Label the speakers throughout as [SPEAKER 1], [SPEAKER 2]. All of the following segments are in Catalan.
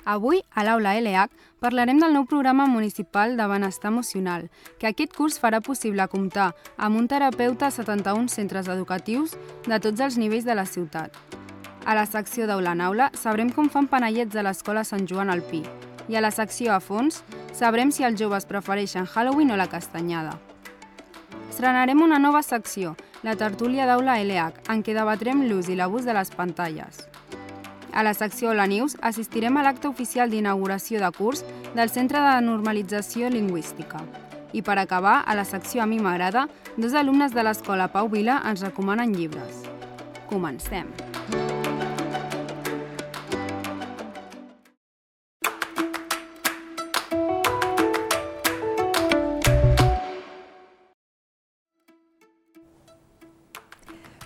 [SPEAKER 1] Avui, a l'Aula LH, parlarem del nou programa municipal de benestar emocional, que aquest curs farà possible comptar amb un terapeuta a 71 centres educatius de tots els nivells de la ciutat. A la secció d'Aula en Aula sabrem com fan panellets a l'Escola Sant Joan al Pi, i a la secció a fons sabrem si els joves prefereixen Halloween o la castanyada. Estrenarem una nova secció, la tertúlia d'Aula LH, en què debatrem l'ús i l'abús de les pantalles. A la secció Hola News assistirem a l'acte oficial d'inauguració de curs del Centre de Normalització Lingüística. I per acabar, a la secció A mi m'agrada, dos alumnes de l'Escola Pau Vila ens recomanen llibres. Comencem!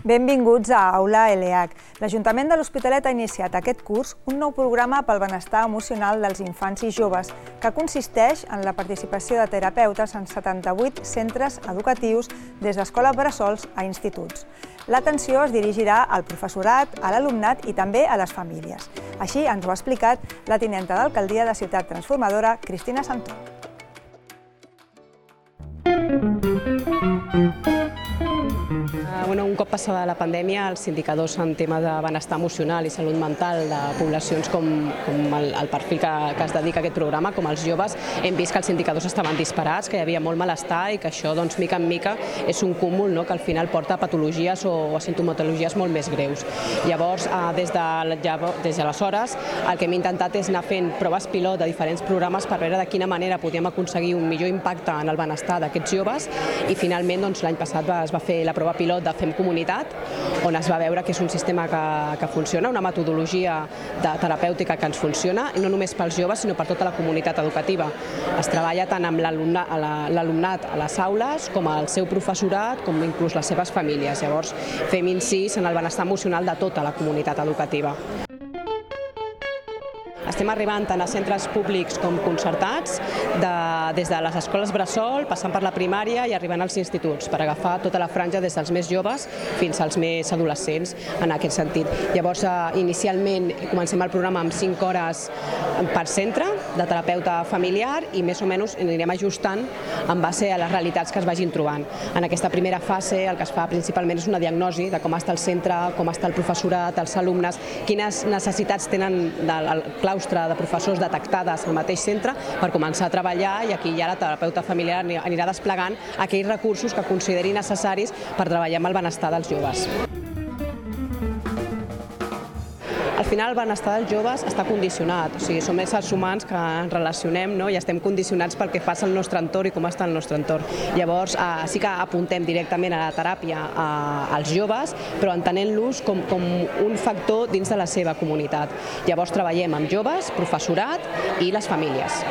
[SPEAKER 2] Benvinguts a Aula LH. L'Ajuntament de l'Hospitalet ha iniciat aquest curs un nou programa pel benestar emocional dels infants i joves, que consisteix en la participació de terapeutes en 78 centres educatius des d'escoles bressols a instituts. L'atenció es dirigirà al professorat, a l'alumnat i també a les famílies. Així ens ho ha explicat la tinenta d'alcaldia de Ciutat Transformadora, Cristina Santó.
[SPEAKER 3] Un cop passada la pandèmia, els indicadors en tema de benestar emocional i salut mental de poblacions com el perfil que es dedica a aquest programa, com els joves, hem vist que els indicadors estaven disparats, que hi havia molt malestar i que això, mica en mica, és un cúmul que al final porta a patologies o a sintomatologies molt més greus. Llavors, des d'aleshores, el que hem intentat és anar fent proves pilot de diferents programes per veure de quina manera podíem aconseguir un millor impacte en el benestar d'aquests joves i finalment l'any passat es va fer la prova pilot de Fem Comunitat, on es va veure que és un sistema que funciona, una metodologia terapèutica que ens funciona, i no només pels joves, sinó per tota la comunitat educativa. Es treballa tant amb l'alumnat a les aules, com al seu professorat, com inclús les seves famílies. Llavors, fem incís en el benestar emocional de tota la comunitat educativa. Estem arribant tant a centres públics com concertats, des de les escoles bressol, passant per la primària i arribant als instituts, per agafar tota la franja des dels més joves fins als més adolescents en aquest sentit. Llavors, inicialment comencem el programa amb 5 hores per centre de terapeuta familiar i més o menys anirem ajustant en base a les realitats que es vagin trobant. En aquesta primera fase el que es fa principalment és una diagnosi de com està el centre, com està el professorat, els alumnes, quines necessitats tenen el claustre de professors detectades al mateix centre per començar a treballar, i aquí ja la terapeuta familiar anirà desplegant aquells recursos que consideri necessaris per treballar amb el benestar dels joves. Al final el benestar dels joves està condicionat, som éssers humans que ens relacionem i estem condicionats pel que passa al nostre entorn i com està el nostre entorn. Llavors sí que apuntem directament a la teràpia als joves, però entenent-los com un factor dins de la seva comunitat. Llavors treballem amb joves, professorat i les famílies.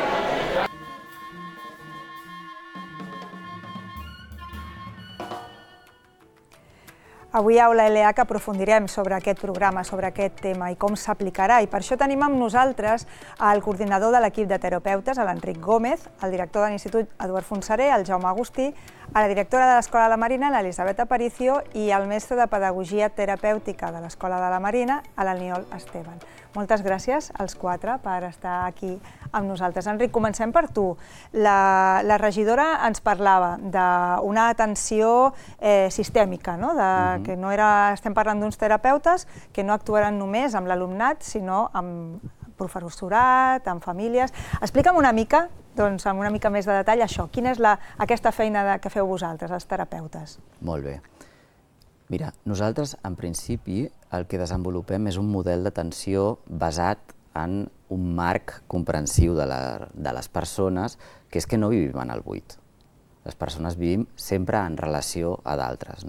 [SPEAKER 2] Avui a Aula LH aprofundirem sobre aquest programa, sobre aquest tema i com s'aplicarà, i per això tenim amb nosaltres el coordinador de l'equip de terapeutes, l'Enric Gómez, el director de l'Institut Eduard Fontserè, el Jaume Agustí, a la directora de l'Escola de la Marina, l'Elisabet Aparicio, i el mestre de Pedagogia Terapèutica de l'Escola de la Marina, l'Aniol Esteban. Moltes gràcies als 4 per estar aquí amb nosaltres. Enric, comencem per tu. La regidora ens parlava d'una atenció sistèmica, que no estem parlant d'uns terapeutes que no actuaran només amb l'alumnat, sinó amb professorat, amb famílies. Explica'm una mica, amb una mica més de detall, això. Quina és aquesta feina que feu vosaltres, els terapeutes?
[SPEAKER 4] Molt bé. Mira, nosaltres, en principi, el que desenvolupem és un model d'atenció basat en un marc comprensiu de les persones, que és que no vivim en el buit. Les persones vivim sempre en relació a d'altres.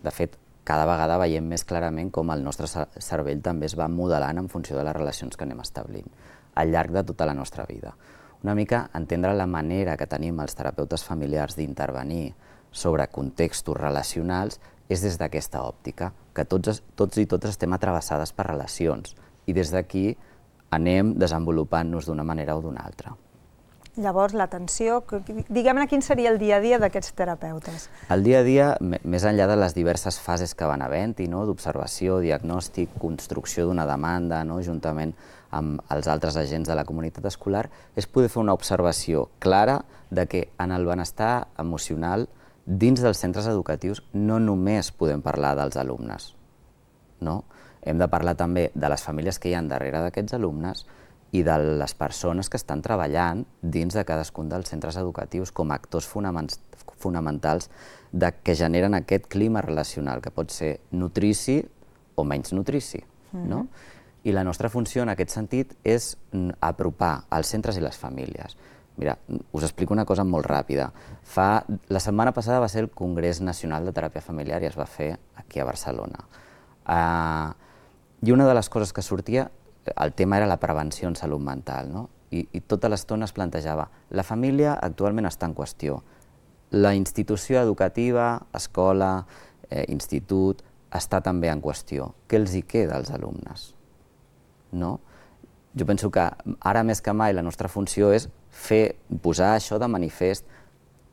[SPEAKER 4] De fet, cada vegada veiem més clarament com el nostre cervell també es va modelant en funció de les relacions que anem establint al llarg de tota la nostra vida. Una mica entendre la manera que tenim els terapeutes familiars d'intervenir sobre contextos relacionals és des d'aquesta òptica, que tots i totes estem atravessades per relacions i des d'aquí anem desenvolupant-nos d'una manera o d'una altra.
[SPEAKER 2] Llavors, l'atenció, diguem-ne quin seria el dia a dia d'aquests terapeutes.
[SPEAKER 4] El dia a dia, més enllà de les diverses fases que van havent-hi, d'observació, diagnòstic, construcció d'una demanda, juntament amb els altres agents de la comunitat escolar, és poder fer una observació clara de que en el benestar emocional, dins dels centres educatius, no només podem parlar dels alumnes. Hem de parlar també de les famílies que hi ha darrere d'aquests alumnes i de les persones que estan treballant dins de cadascun dels centres educatius com a actors fonamentals que generen aquest clima relacional, que pot ser nutrici o menys nutrici. I la nostra funció en aquest sentit és apropar els centres i les famílies. Mira, us explico una cosa molt ràpida. La setmana passada va ser el Congrés Nacional de Teràpia Familiar i es va fer aquí a Barcelona. I una de les coses que sortia, el tema era la prevenció en salut mental, i tota l'estona es plantejava la família actualment està en qüestió. La institució educativa, escola, institut, està també en qüestió. Què els hi queda als alumnes? Jo penso que ara més que mai la nostra funció és posar això de manifest,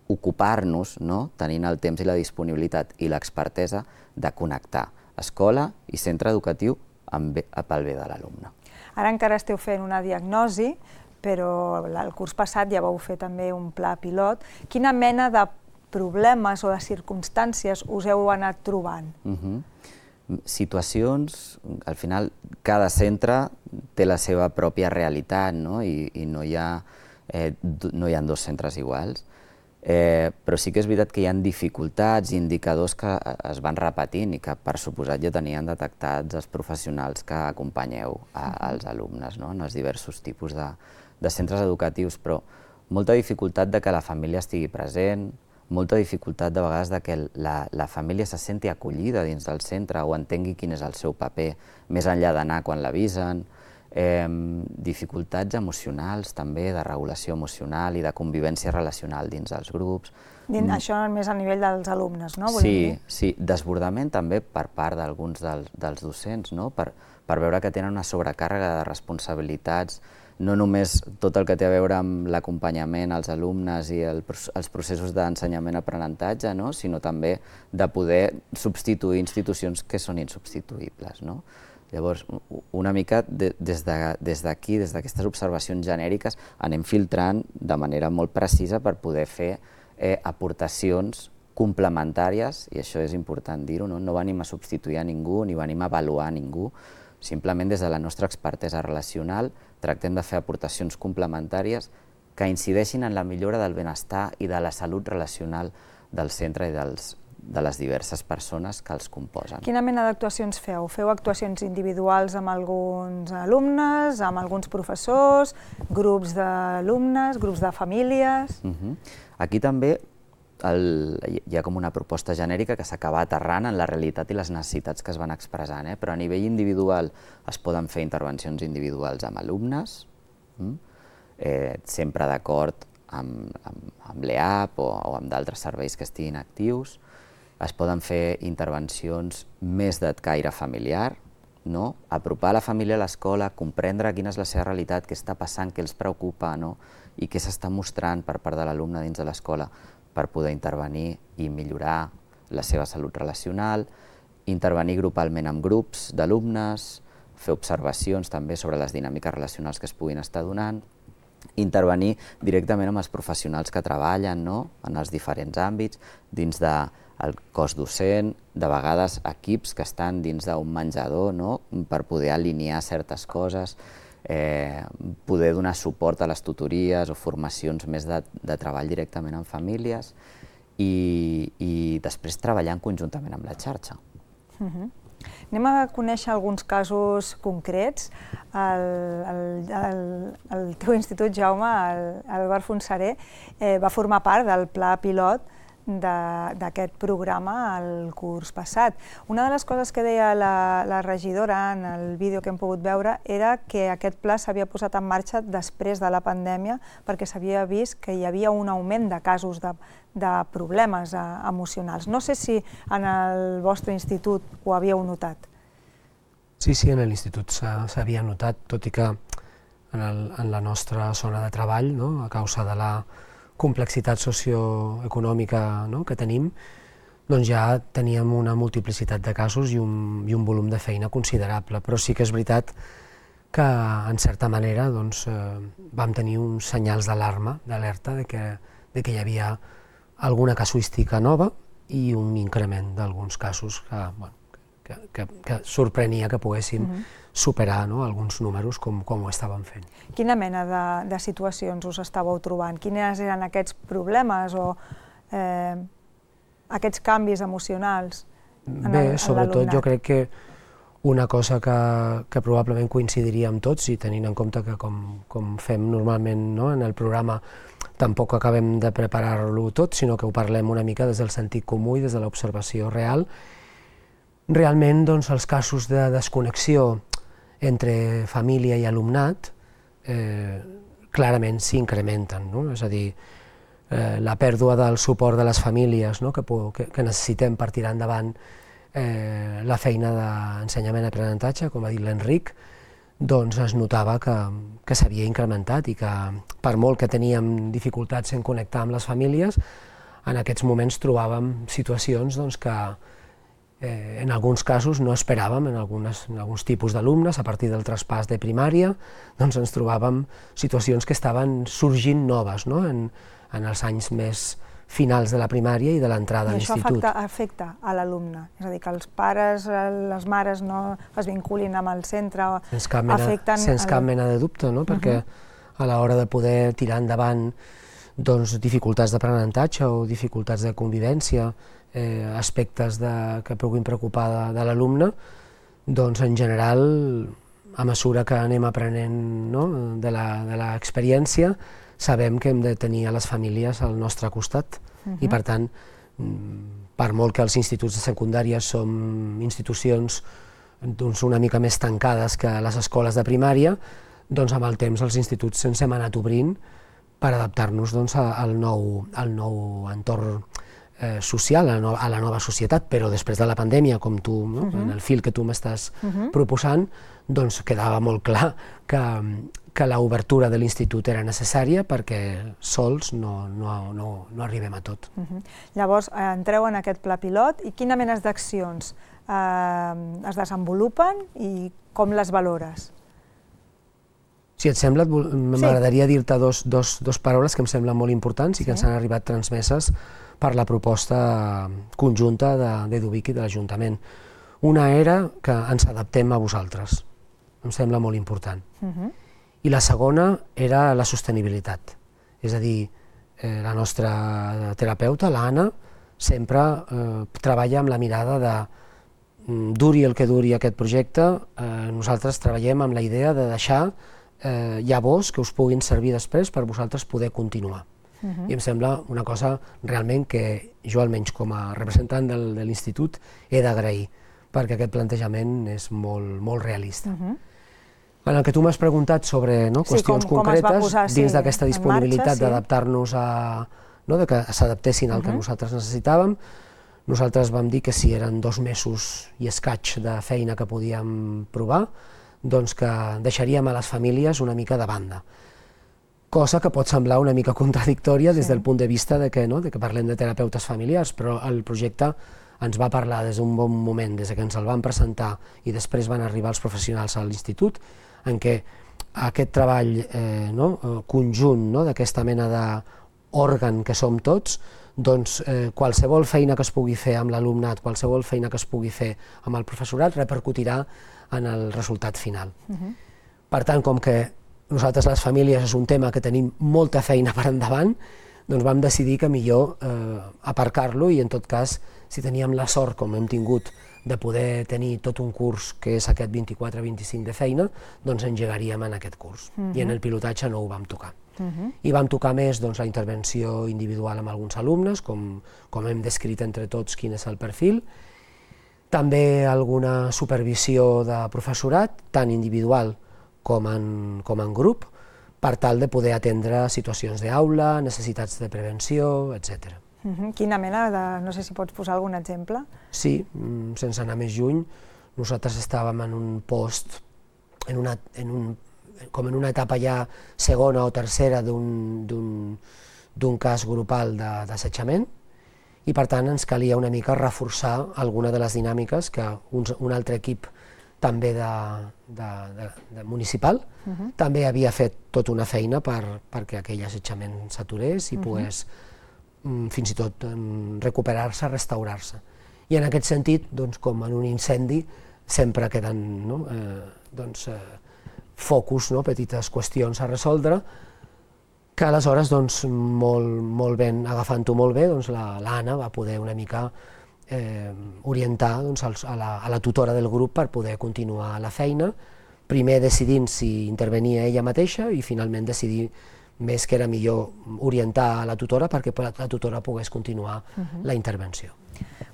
[SPEAKER 4] ocupar-nos, tenint el temps i la disponibilitat i l'expertesa de connectar escola i centre educatiu pel bé de l'alumne.
[SPEAKER 2] Ara encara esteu fent una diagnosi, però el curs passat ja vau fer també un pla pilot. Quina mena de problemes o de circumstàncies us heu anat trobant?
[SPEAKER 4] Situacions, al final, cada centre té la seva pròpia realitat i no hi ha dos centres iguals. Però sí que és veritat que hi ha dificultats i indicadors que es van repetint i que, per suposat, ja tenien detectats els professionals que acompanyeu als alumnes en els diversos tipus de centres educatius, però molta dificultat de que la família estigui present, molta dificultat de vegades de que la família se senti acollida dins del centre o entengui quin és el seu paper, més enllà d'anar quan l'avisen, dificultats emocionals també, de regulació emocional i de convivència relacional dins els grups.
[SPEAKER 2] Això més a nivell dels alumnes, no?
[SPEAKER 4] Sí, desbordament també per part d'alguns dels docents, per veure que tenen una sobrecàrrega de responsabilitats, no només tot el que té a veure amb l'acompanyament als alumnes i els processos d'ensenyament-aprenentatge, sinó també de poder substituir institucions que són insubstituïbles. Llavors, una mica des d'aquí, des d'aquestes observacions genèriques, anem filtrant de manera molt precisa per poder fer aportacions complementàries, i això és important dir-ho, no venim a substituir a ningú ni venim a avaluar a ningú, simplement des de la nostra expertesa relacional tractem de fer aportacions complementàries que incideixin en la millora del benestar i de la salut relacional del centre i de les diverses persones que els composen.
[SPEAKER 2] Quina mena d'actuacions feu? Feu actuacions individuals amb alguns alumnes, amb alguns professors, grups d'alumnes, grups de famílies?
[SPEAKER 4] Aquí també hi ha com una proposta genèrica que s'acaba aterrant en la realitat i les necessitats que es van expressant, però a nivell individual es poden fer intervencions individuals amb alumnes, sempre d'acord amb l'EAP o amb d'altres serveis que estiguin actius. Es poden fer intervencions més de caire familiar, apropar la família a l'escola, comprendre quina és la seva realitat, què està passant, què els preocupa i què s'està mostrant per part de l'alumne dins de l'escola per poder intervenir i millorar la seva salut relacional, intervenir grupalment amb grups d'alumnes, fer observacions també sobre les dinàmiques relacionals que es puguin estar donant, intervenir directament amb els professionals que treballen en els diferents àmbits, dins del cos docent, de vegades equips que estan dins d'un menjador per poder alinear certes coses, poder donar suport a les tutories o formacions més de treball directament amb famílies i després treballant conjuntament amb la xarxa.
[SPEAKER 2] Anem a conèixer alguns casos concrets. El teu institut, Jaume, l'Albert Fontserè, va formar part del pla pilot d'aquest programa el curs passat. Una de les coses que deia la regidora en el vídeo que hem pogut veure era que aquest pla s'havia posat en marxa després de la pandèmia perquè s'havia vist que hi havia un augment de casos de problemes emocionals. No sé si en el vostre institut ho havíeu notat.
[SPEAKER 5] Sí, en l'institut s'havia notat, tot i que en la nostra zona de treball, a causa de la complexitat socioeconòmica que tenim, doncs ja teníem una multiplicitat de casos i un volum de feina considerable. Però sí que és veritat que, en certa manera, vam tenir uns senyals d'alarma, d'alerta, de que hi havia alguna casuística nova i un increment d'alguns casos que sorprenia que poguéssim superar alguns números com ho estàvem fent.
[SPEAKER 2] Quina mena de situacions us estàveu trobant? Quines eren aquests problemes o aquests canvis emocionals en l'alumnat?
[SPEAKER 5] Bé, sobretot jo crec que una cosa que probablement coincidiria amb tots, i tenint en compte que com fem normalment en el programa tampoc acabem de preparar-lo tot, sinó que ho parlem una mica des del sentit comú i des de l'observació real, realment els casos de desconnexió entre família i alumnat clarament s'incrementen, és a dir, la pèrdua del suport de les famílies que necessitem per tirar endavant la feina d'ensenyament i aprenentatge, com ha dit l'Enric, doncs es notava que s'havia incrementat i que per molt que teníem dificultats en connectar amb les famílies, en aquests moments trobàvem situacions que en alguns casos no esperàvem, en alguns tipus d'alumnes, a partir del traspàs de primària, doncs ens trobàvem situacions que estaven sorgint noves en els anys més finals de la primària i de l'entrada a l'institut.
[SPEAKER 2] I això afecta a l'alumne? És a dir, que els pares, les mares no es vinculin amb el centre, afecten...
[SPEAKER 5] Sense cap mena de dubte, perquè a l'hora de poder tirar endavant dificultats d'aprenentatge o dificultats de convivència, aspectes que puguin preocupar de l'alumne, doncs en general, a mesura que anem aprenent de l'experiència, sabem que hem de tenir a les famílies al nostre costat i, per tant, per molt que els instituts de secundària som institucions una mica més tancades que les escoles de primària, doncs amb el temps els instituts ens hem anat obrint per adaptar-nos al nou entorn social, a la nova societat, però després de la pandèmia, com tu, en el fil que tu m'estàs proposant, doncs quedava molt clar que l'obertura de l'institut era necessària perquè sols no arribem a tot.
[SPEAKER 2] Llavors, entreu en aquest pla pilot i quina mena d'accions es desenvolupen i com les valores?
[SPEAKER 5] Si et sembla, m'agradaria dir-te dos paraules que em semblen molt importants i que ens han arribat transmeses per la proposta conjunta d'Eduvic i de l'Ajuntament. Una era que ens adaptem a vosaltres, em sembla molt important. I la segona era la sostenibilitat, és a dir, la nostra terapeuta, l'Anna, sempre treballa amb la mirada de duri el que duri aquest projecte, nosaltres treballem amb la idea de deixar llavors que us puguin servir després per vosaltres poder continuar. I em sembla una cosa realment que jo, almenys com a representant de l'institut, he d'agrair, perquè aquest plantejament és molt realista. En el que tu m'has preguntat sobre qüestions concretes, dins d'aquesta disponibilitat d'adaptar-nos que s'adaptessin al que nosaltres necessitàvem, nosaltres vam dir que si eren 2 mesos i escaig de feina que podíem provar, doncs que deixaríem a les famílies una mica de banda. Cosa que pot semblar una mica contradictòria des del punt de vista de que parlem de terapeutes familiars, però el projecte ens va parlar des d'un bon moment, des que ens el van presentar i després van arribar els professionals a l'institut, en què aquest treball conjunt d'aquesta mena d'òrgan que som tots, doncs qualsevol feina que es pugui fer amb l'alumnat, qualsevol feina que es pugui fer amb el professorat repercutirà en el resultat final. Per tant, com que nosaltres les famílies és un tema que tenim molta feina per endavant, doncs vam decidir que millor aparcar-lo i en tot cas, si teníem la sort, com hem tingut, de poder tenir tot un curs que és aquest 24-25 de feina, doncs engegaríem en aquest curs. I en el pilotatge no ho vam tocar. I vam tocar més la intervenció individual amb alguns alumnes, com hem descrit entre tots quin és el perfil, també alguna supervisió de professorat, tant individual com en grup, per tal de poder atendre situacions d'aula, necessitats de prevenció, etc.
[SPEAKER 2] Quina mena no sé si pots posar algun exemple?
[SPEAKER 5] Sí, sense anar més lluny, nosaltres estàvem en un post, en un com en una etapa ja segona o tercera d'un cas grupal d'assetjament, i per tant ens calia una mica reforçar alguna de les dinàmiques que un altre equip també municipal també havia fet tota una feina perquè aquell assetjament s'aturés i pogués fins i tot recuperar-se, restaurar-se. I en aquest sentit, com en un incendi, sempre queden focus, petites qüestions a resoldre, que aleshores, molt ben, agafant-ho molt bé, l'Anna va poder una mica orientar a la tutora del grup per poder continuar la feina, primer decidint si intervenia ella mateixa i finalment decidir més que era millor orientar a la tutora perquè la tutora pogués continuar la intervenció.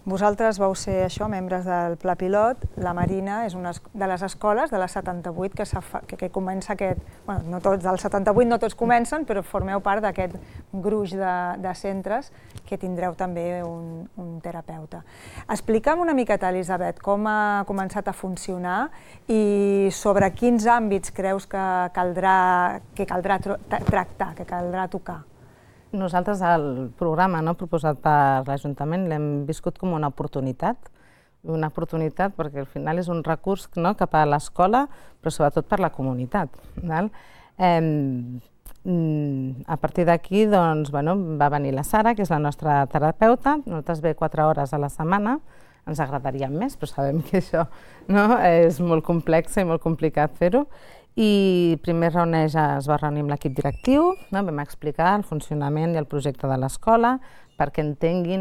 [SPEAKER 2] Vosaltres vau ser això, membres del Pla Pilot. La Marina és una de les escoles de les 78 que comença aquest... no tots, dels 78 no tots comencen, però formeu part d'aquest gruix de centres que tindreu també un terapeuta. Explica'm una miqueta, Elisabet, com ha començat a funcionar i sobre quins àmbits creus que caldrà tractar, que caldrà tocar.
[SPEAKER 6] Nosaltres el programa proposat per l'Ajuntament l'hem viscut com una oportunitat perquè al final és un recurs cap a l'escola, però sobretot per la comunitat. A partir d'aquí va venir la Sara, que és la nostra terapeuta. Nosaltres ve 4 hores a la setmana, ens agradaria més, però sabem que això és molt complex i molt complicat fer-ho. I primer es va reunir amb l'equip directiu, vam explicar el funcionament i el projecte de l'escola perquè entengui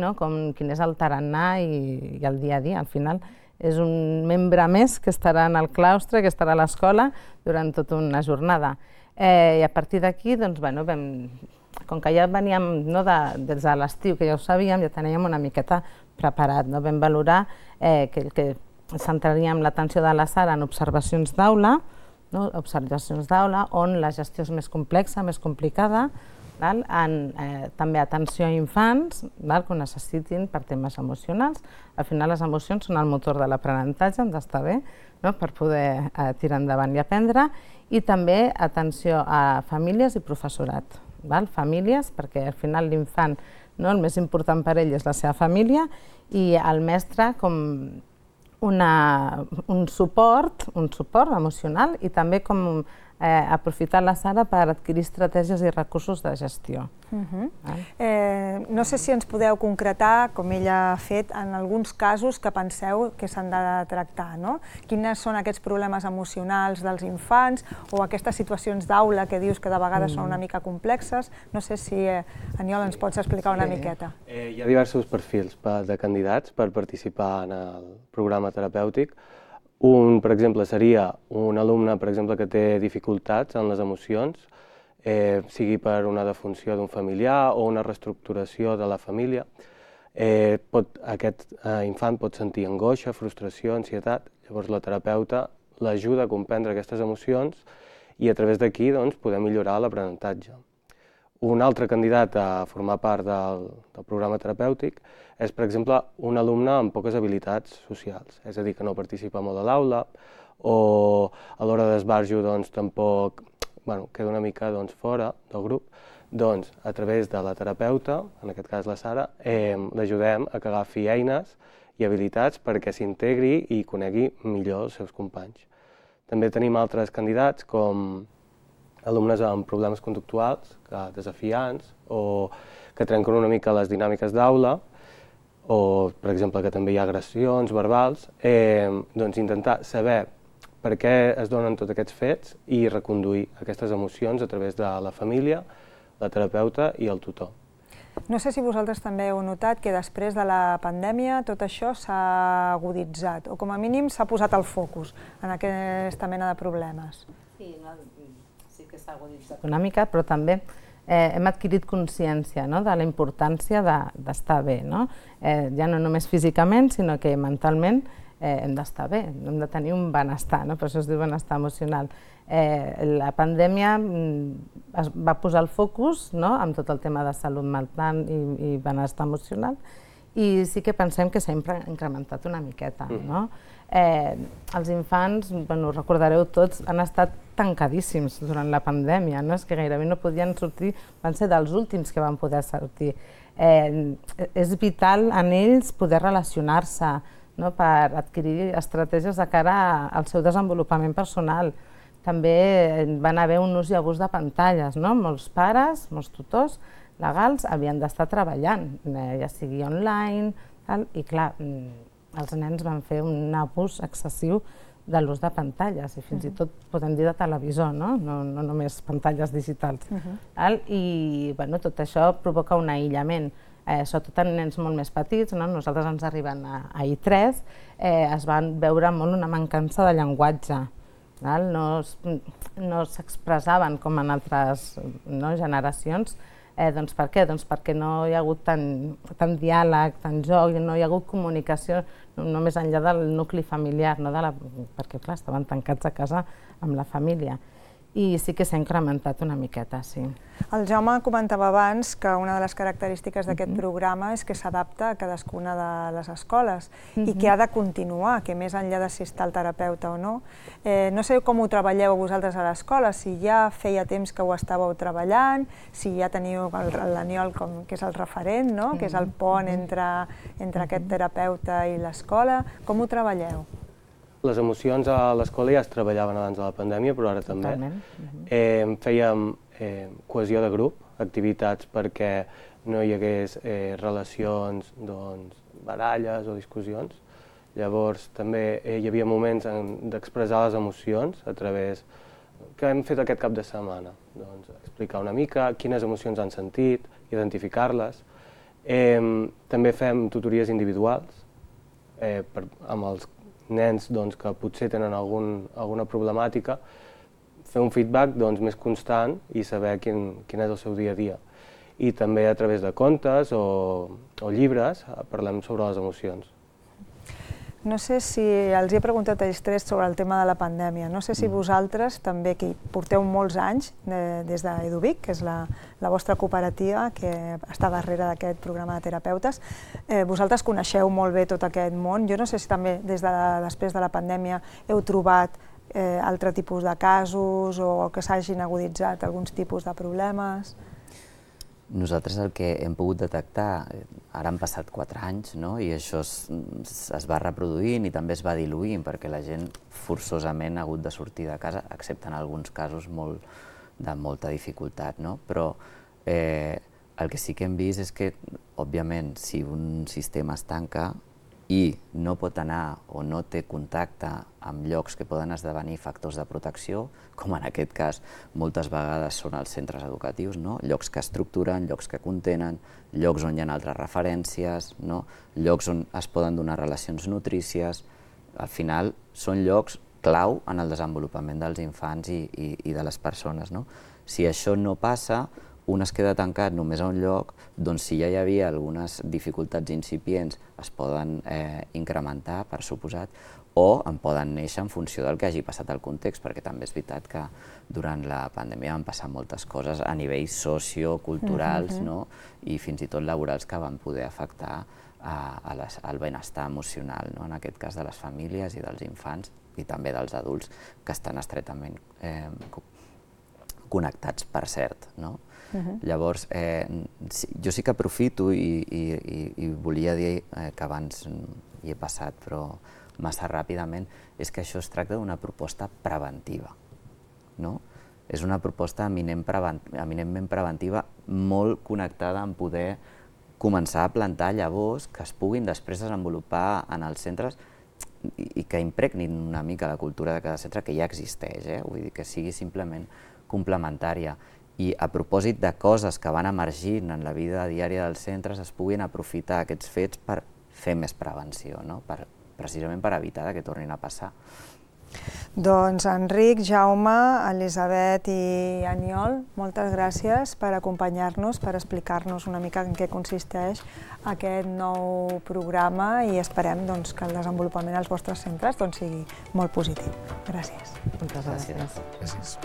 [SPEAKER 6] quin és el tarannà i el dia a dia. Al final és un membre més que estarà en el claustre, que estarà a l'escola durant tota una jornada. I a partir d'aquí, com que ja veníem des de l'estiu, que ja ho sabíem, ja teníem una miqueta preparat. Vam valorar que centraríem l'atenció de la Sara en observacions d'aula, on la gestió és més complexa, més complicada, també atenció a infants que ho necessitin per temes emocionals. Al final les emocions són el motor de l'aprenentatge, hem d'estar bé per poder tirar endavant i aprendre, i també atenció a famílies i professorat. Famílies, perquè al final l'infant, el més important per ell és la seva família, i el mestre com un suport emocional i també com aprofitar la Sara per adquirir estratègies i recursos de gestió.
[SPEAKER 2] No sé si ens podeu concretar, com ella ha fet, en alguns casos que penseu que s'han de tractar. Quins són aquests problemes emocionals dels infants o aquestes situacions d'aula que dius que de vegades són una mica complexes. No sé si, Aniol, ens pots explicar una miqueta.
[SPEAKER 7] Hi ha diversos perfils de candidats per participar en el programa terapèutic. Un, per exemple, seria un alumne que té dificultats en les emocions, sigui per una defunció d'un familiar o una reestructuració de la família. Aquest infant pot sentir angoixa, frustració, ansietat. Llavors la terapeuta l'ajuda a comprendre aquestes emocions i a través d'aquí poder millorar l'aprenentatge. Un altre candidat a formar part del programa terapèutic és, per exemple, un alumne amb poques habilitats socials, és a dir, que no participa molt a l'aula o a l'hora d'esbarjo tampoc queda una mica fora del grup. Doncs, a través de la terapeuta, en aquest cas la Sara, l'ajudem a que agafi eines i habilitats perquè s'integri i conegui millor els seus companys. També tenim altres candidats com alumnes amb problemes conductuals, desafiants, o que trenquen una mica les dinàmiques d'aula, o, per exemple, que també hi ha agressions verbals, intentar saber per què es donen tots aquests fets i reconduir aquestes emocions a través de la família, la terapeuta i el tutor.
[SPEAKER 2] No sé si vosaltres també heu notat que després de la pandèmia tot això s'ha aguditzat, o com a mínim s'ha posat el focus en aquesta mena de problemes.
[SPEAKER 6] Sí que s'ha aguditzat una mica, però també hem adquirit consciència de la importància d'estar bé, ja no només físicament, sinó que mentalment hem d'estar bé, hem de tenir un benestar, per això es diu benestar emocional. La pandèmia va posar el focus en tot el tema de salut mental i benestar emocional i sí que pensem que s'ha incrementat una miqueta. Els infants, ho recordareu tots, han estat tancadíssims durant la pandèmia, no? És que gairebé no podien sortir, van ser dels últims que van poder sortir. És vital en ells poder relacionar-se, no? Per adquirir estratègies de cara al seu desenvolupament personal. També van haver un ús i abús de pantalles, no? Molts pares, molts tutors legals havien d'estar treballant, ja sigui online, i clar, els nens van fer un abús excessiu de l'ús de pantalles, i fins i tot podem dir de televisor, no només pantalles digitals. I tot això provoca un aïllament, sobretot en nens molt més petits. Nosaltres ens arriben a I3, es van veure molt una mancança de llenguatge, no s'expressaven com en altres generacions. Doncs per què? Doncs perquè no hi ha hagut tant diàleg, tant joc, no hi ha hagut comunicació només enllà del nucli familiar, perquè clar, estaven tancats a casa amb la família. I sí que s'ha incrementat una miqueta, sí.
[SPEAKER 2] El Jaume comentava abans que una de les característiques d'aquest programa és que s'adapta a cadascuna de les escoles i que ha de continuar, que més enllà de si està el terapeuta o no. No sé com ho treballeu vosaltres a l'escola, si ja feia temps que ho estàveu treballant, si ja teniu l'Aniol, que és el referent, que és el pont entre aquest terapeuta i l'escola. Com ho treballeu?
[SPEAKER 7] Les emocions a l'escola ja es treballaven abans de la pandèmia, però ara també. Fèiem cohesió de grup, activitats perquè no hi hagués relacions, baralles o discussions. Llavors també hi havia moments d'expressar les emocions a través que hem fet aquest cap de setmana. Explicar una mica quines emocions han sentit, identificar-les. També fem tutories individuals amb els nens que potser tenen alguna problemàtica, fer un feedback més constant i saber quin és el seu dia a dia. I també a través de contes o llibres parlem sobre les emocions.
[SPEAKER 2] No sé si els he preguntat a ells tres sobre el tema de la pandèmia. No sé si vosaltres també, que porteu molts anys des d'Eduvic, que és la vostra cooperativa que està darrere d'aquest programa de terapeutes, vosaltres coneixeu molt bé tot aquest món. Jo no sé si també després de la pandèmia heu trobat altre tipus de casos o que s'hagin aguditzat alguns tipus de problemes.
[SPEAKER 4] Nosaltres el que hem pogut detectar, ara han passat 4 anys, i això es va reproduint i també es va diluint perquè la gent forçosament ha hagut de sortir de casa, excepte en alguns casos de molta dificultat. Però el que sí que hem vist és que, òbviament, si un sistema es tanca i no pot anar o no té contacte amb llocs que poden esdevenir factors de protecció, com en aquest cas moltes vegades són els centres educatius, llocs que estructuren, llocs que contenen, llocs on hi ha altres referències, llocs on es poden donar relacions nutrícies. Al final són llocs clau en el desenvolupament dels infants i de les persones. Si això no passa, un es queda tancat només a un lloc, doncs si ja hi havia algunes dificultats incipients es poden incrementar, per suposat, o en poden néixer en funció del que hagi passat al context, perquè també és veritat que durant la pandèmia van passar moltes coses a nivells socioculturals i fins i tot laborals que van poder afectar el benestar emocional, en aquest cas de les famílies i dels infants i també dels adults que estan estretament connectats, per cert. Llavors, jo sí que aprofito i volia dir que abans hi he passat, però massa ràpidament, és que això es tracta d'una proposta preventiva. És una proposta eminentment preventiva, molt connectada amb poder començar a plantar llavors que es puguin després desenvolupar en els centres i que impregnin una mica la cultura de cada centre, que ja existeix, vull dir que sigui simplement complementària. I a propòsit de coses que van emergint en la vida diària dels centres, es puguin aprofitar aquests fets per fer més prevenció, precisament per evitar que tornin a passar.
[SPEAKER 2] Doncs Enric, Jaume, Elisabet i Aniol, moltes gràcies per acompanyar-nos, per explicar-nos una mica en què consisteix aquest nou programa i esperem que el desenvolupament als vostres centres sigui molt positiu. Gràcies.
[SPEAKER 6] Moltes gràcies.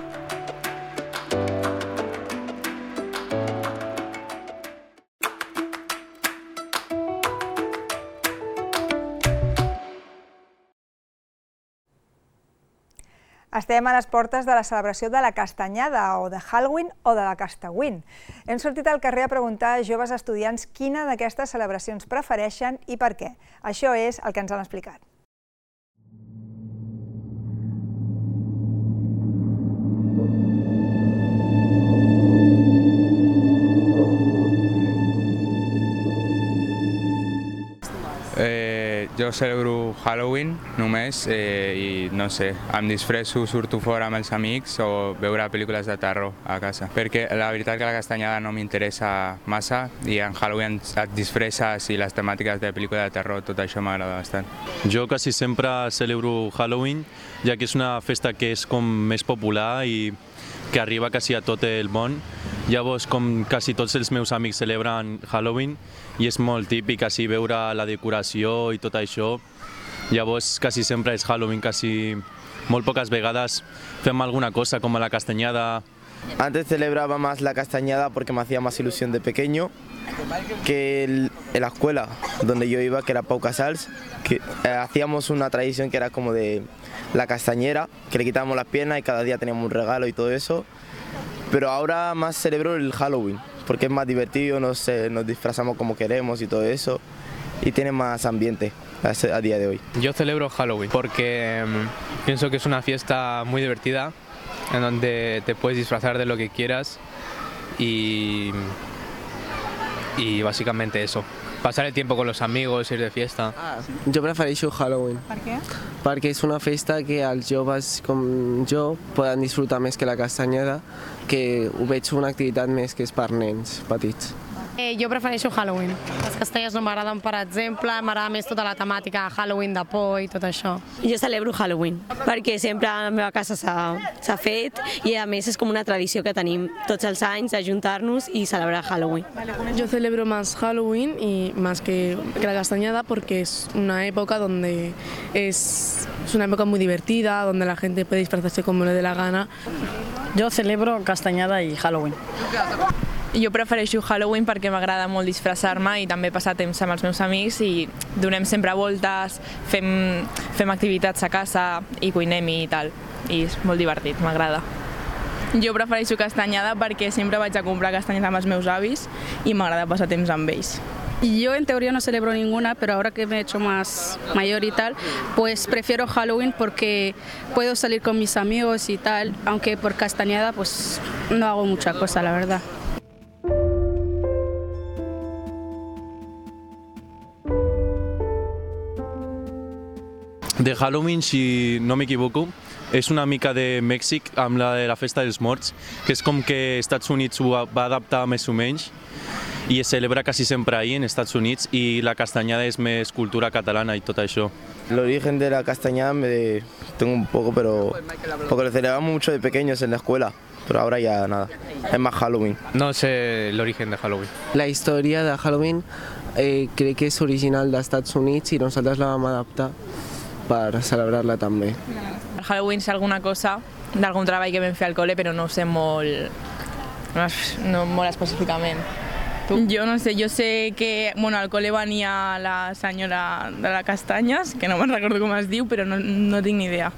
[SPEAKER 2] Estem a les portes de la celebració de la Castanyada, o de Halloween, o de la Castawin. Hem sortit al carrer a preguntar a joves estudiants quina d'aquestes celebracions prefereixen i per què. Això és el que ens han explicat.
[SPEAKER 8] Jo celebro Halloween només i no sé, em disfresso, surto fora amb els amics o veure pel·lícules de terror a casa. Perquè la veritat que la castanyada no m'interessa massa i en Halloween et disfresses i les temàtiques de pel·lícula de terror, tot això m'agrada bastant.
[SPEAKER 9] Jo quasi sempre celebro Halloween, ja que és una festa que és com més popular i que arriba quasi a tot el món. Llavors, com quasi tots els meus amics celebren Halloween, i és molt típic així veure la decoració i tot això. Llavors, quasi sempre és Halloween, quasi molt poques vegades fem alguna cosa, com la castanyada.
[SPEAKER 10] Antes celebraba más la castañada porque me hacía más ilusión de pequeño que en la escuela donde yo iba, que era Pau Casals, que hacíamos una tradición que era como de la castañera, que le quitábamos las piernas y cada día teníamos un regalo y todo eso. Pero ahora más celebro el Halloween, porque es más divertido, nos disfrazamos como queremos y todo eso, y tiene más ambiente a día de hoy.
[SPEAKER 11] Yo celebro Halloween porque pienso que es una fiesta muy divertida, en donde te puedes disfrazar de lo que quieras y básicamente eso. Passar el tiempo con los amigos, ir de fiesta.
[SPEAKER 12] Jo prefereixo Halloween.
[SPEAKER 2] Per què?
[SPEAKER 12] Perquè és una festa que els joves com jo poden disfrutar més que la castanyada, que ho veig una activitat més que és per nens petits.
[SPEAKER 13] Jo prefereixo Halloween. Les castanyes no m'agraden, per exemple, m'agrada més tota la temàtica de Halloween, de por i tot això.
[SPEAKER 14] Jo celebro Halloween, perquè sempre a la meva casa s'ha fet i a més és com una tradició que tenim tots els anys d'ajuntar-nos i celebrar Halloween.
[SPEAKER 15] Yo celebro más Halloween y más que la castañada porque es una época donde es una época muy divertida, donde la gente puede disfrazarse como le dé la gana.
[SPEAKER 16] Jo celebro castanyada i Halloween.
[SPEAKER 17] Jo prefereixo Halloween perquè m'agrada molt disfressar-me i també passar temps amb els meus amics i donem sempre voltes, fem activitats a casa i cuinem i tal. I és molt divertit, m'agrada. Jo prefereixo castanyada perquè sempre vaig a comprar castanyes amb els meus avis i m'agrada passar temps amb ells.
[SPEAKER 18] Yo en teoría no celebro ninguna, pero ahora que me he hecho más mayor y tal, pues prefiero Halloween porque puedo salir con mis amigos y tal, aunque por castañada pues no hago mucha cosa, la verdad.
[SPEAKER 9] De Halloween, si no m'equivoco, és una mica de Mèxic amb la de la Festa dels Morts, que és com que Estats Units ho va adaptar més o menys i es celebra quasi sempre ahí en Estats Units i la castanyada és més cultura catalana i tot això.
[SPEAKER 10] El origen de la castañada tengo un poco, pero porque lo celebramos mucho de pequeños en la escuela, pero ahora ya nada, es más Halloween.
[SPEAKER 11] No sé el origen de Halloween.
[SPEAKER 12] La història de Halloween crec que és original dels Estats Units i nosaltres la vam adaptar per celebrar-la també.
[SPEAKER 17] Halloween és alguna cosa d'algun treball que vam fer al col·le, però no ho sé molt específicament. Jo no sé, jo sé que al col·le venia la senyora de les castanyes, que no me'n recordo com es diu, però no tinc ni idea.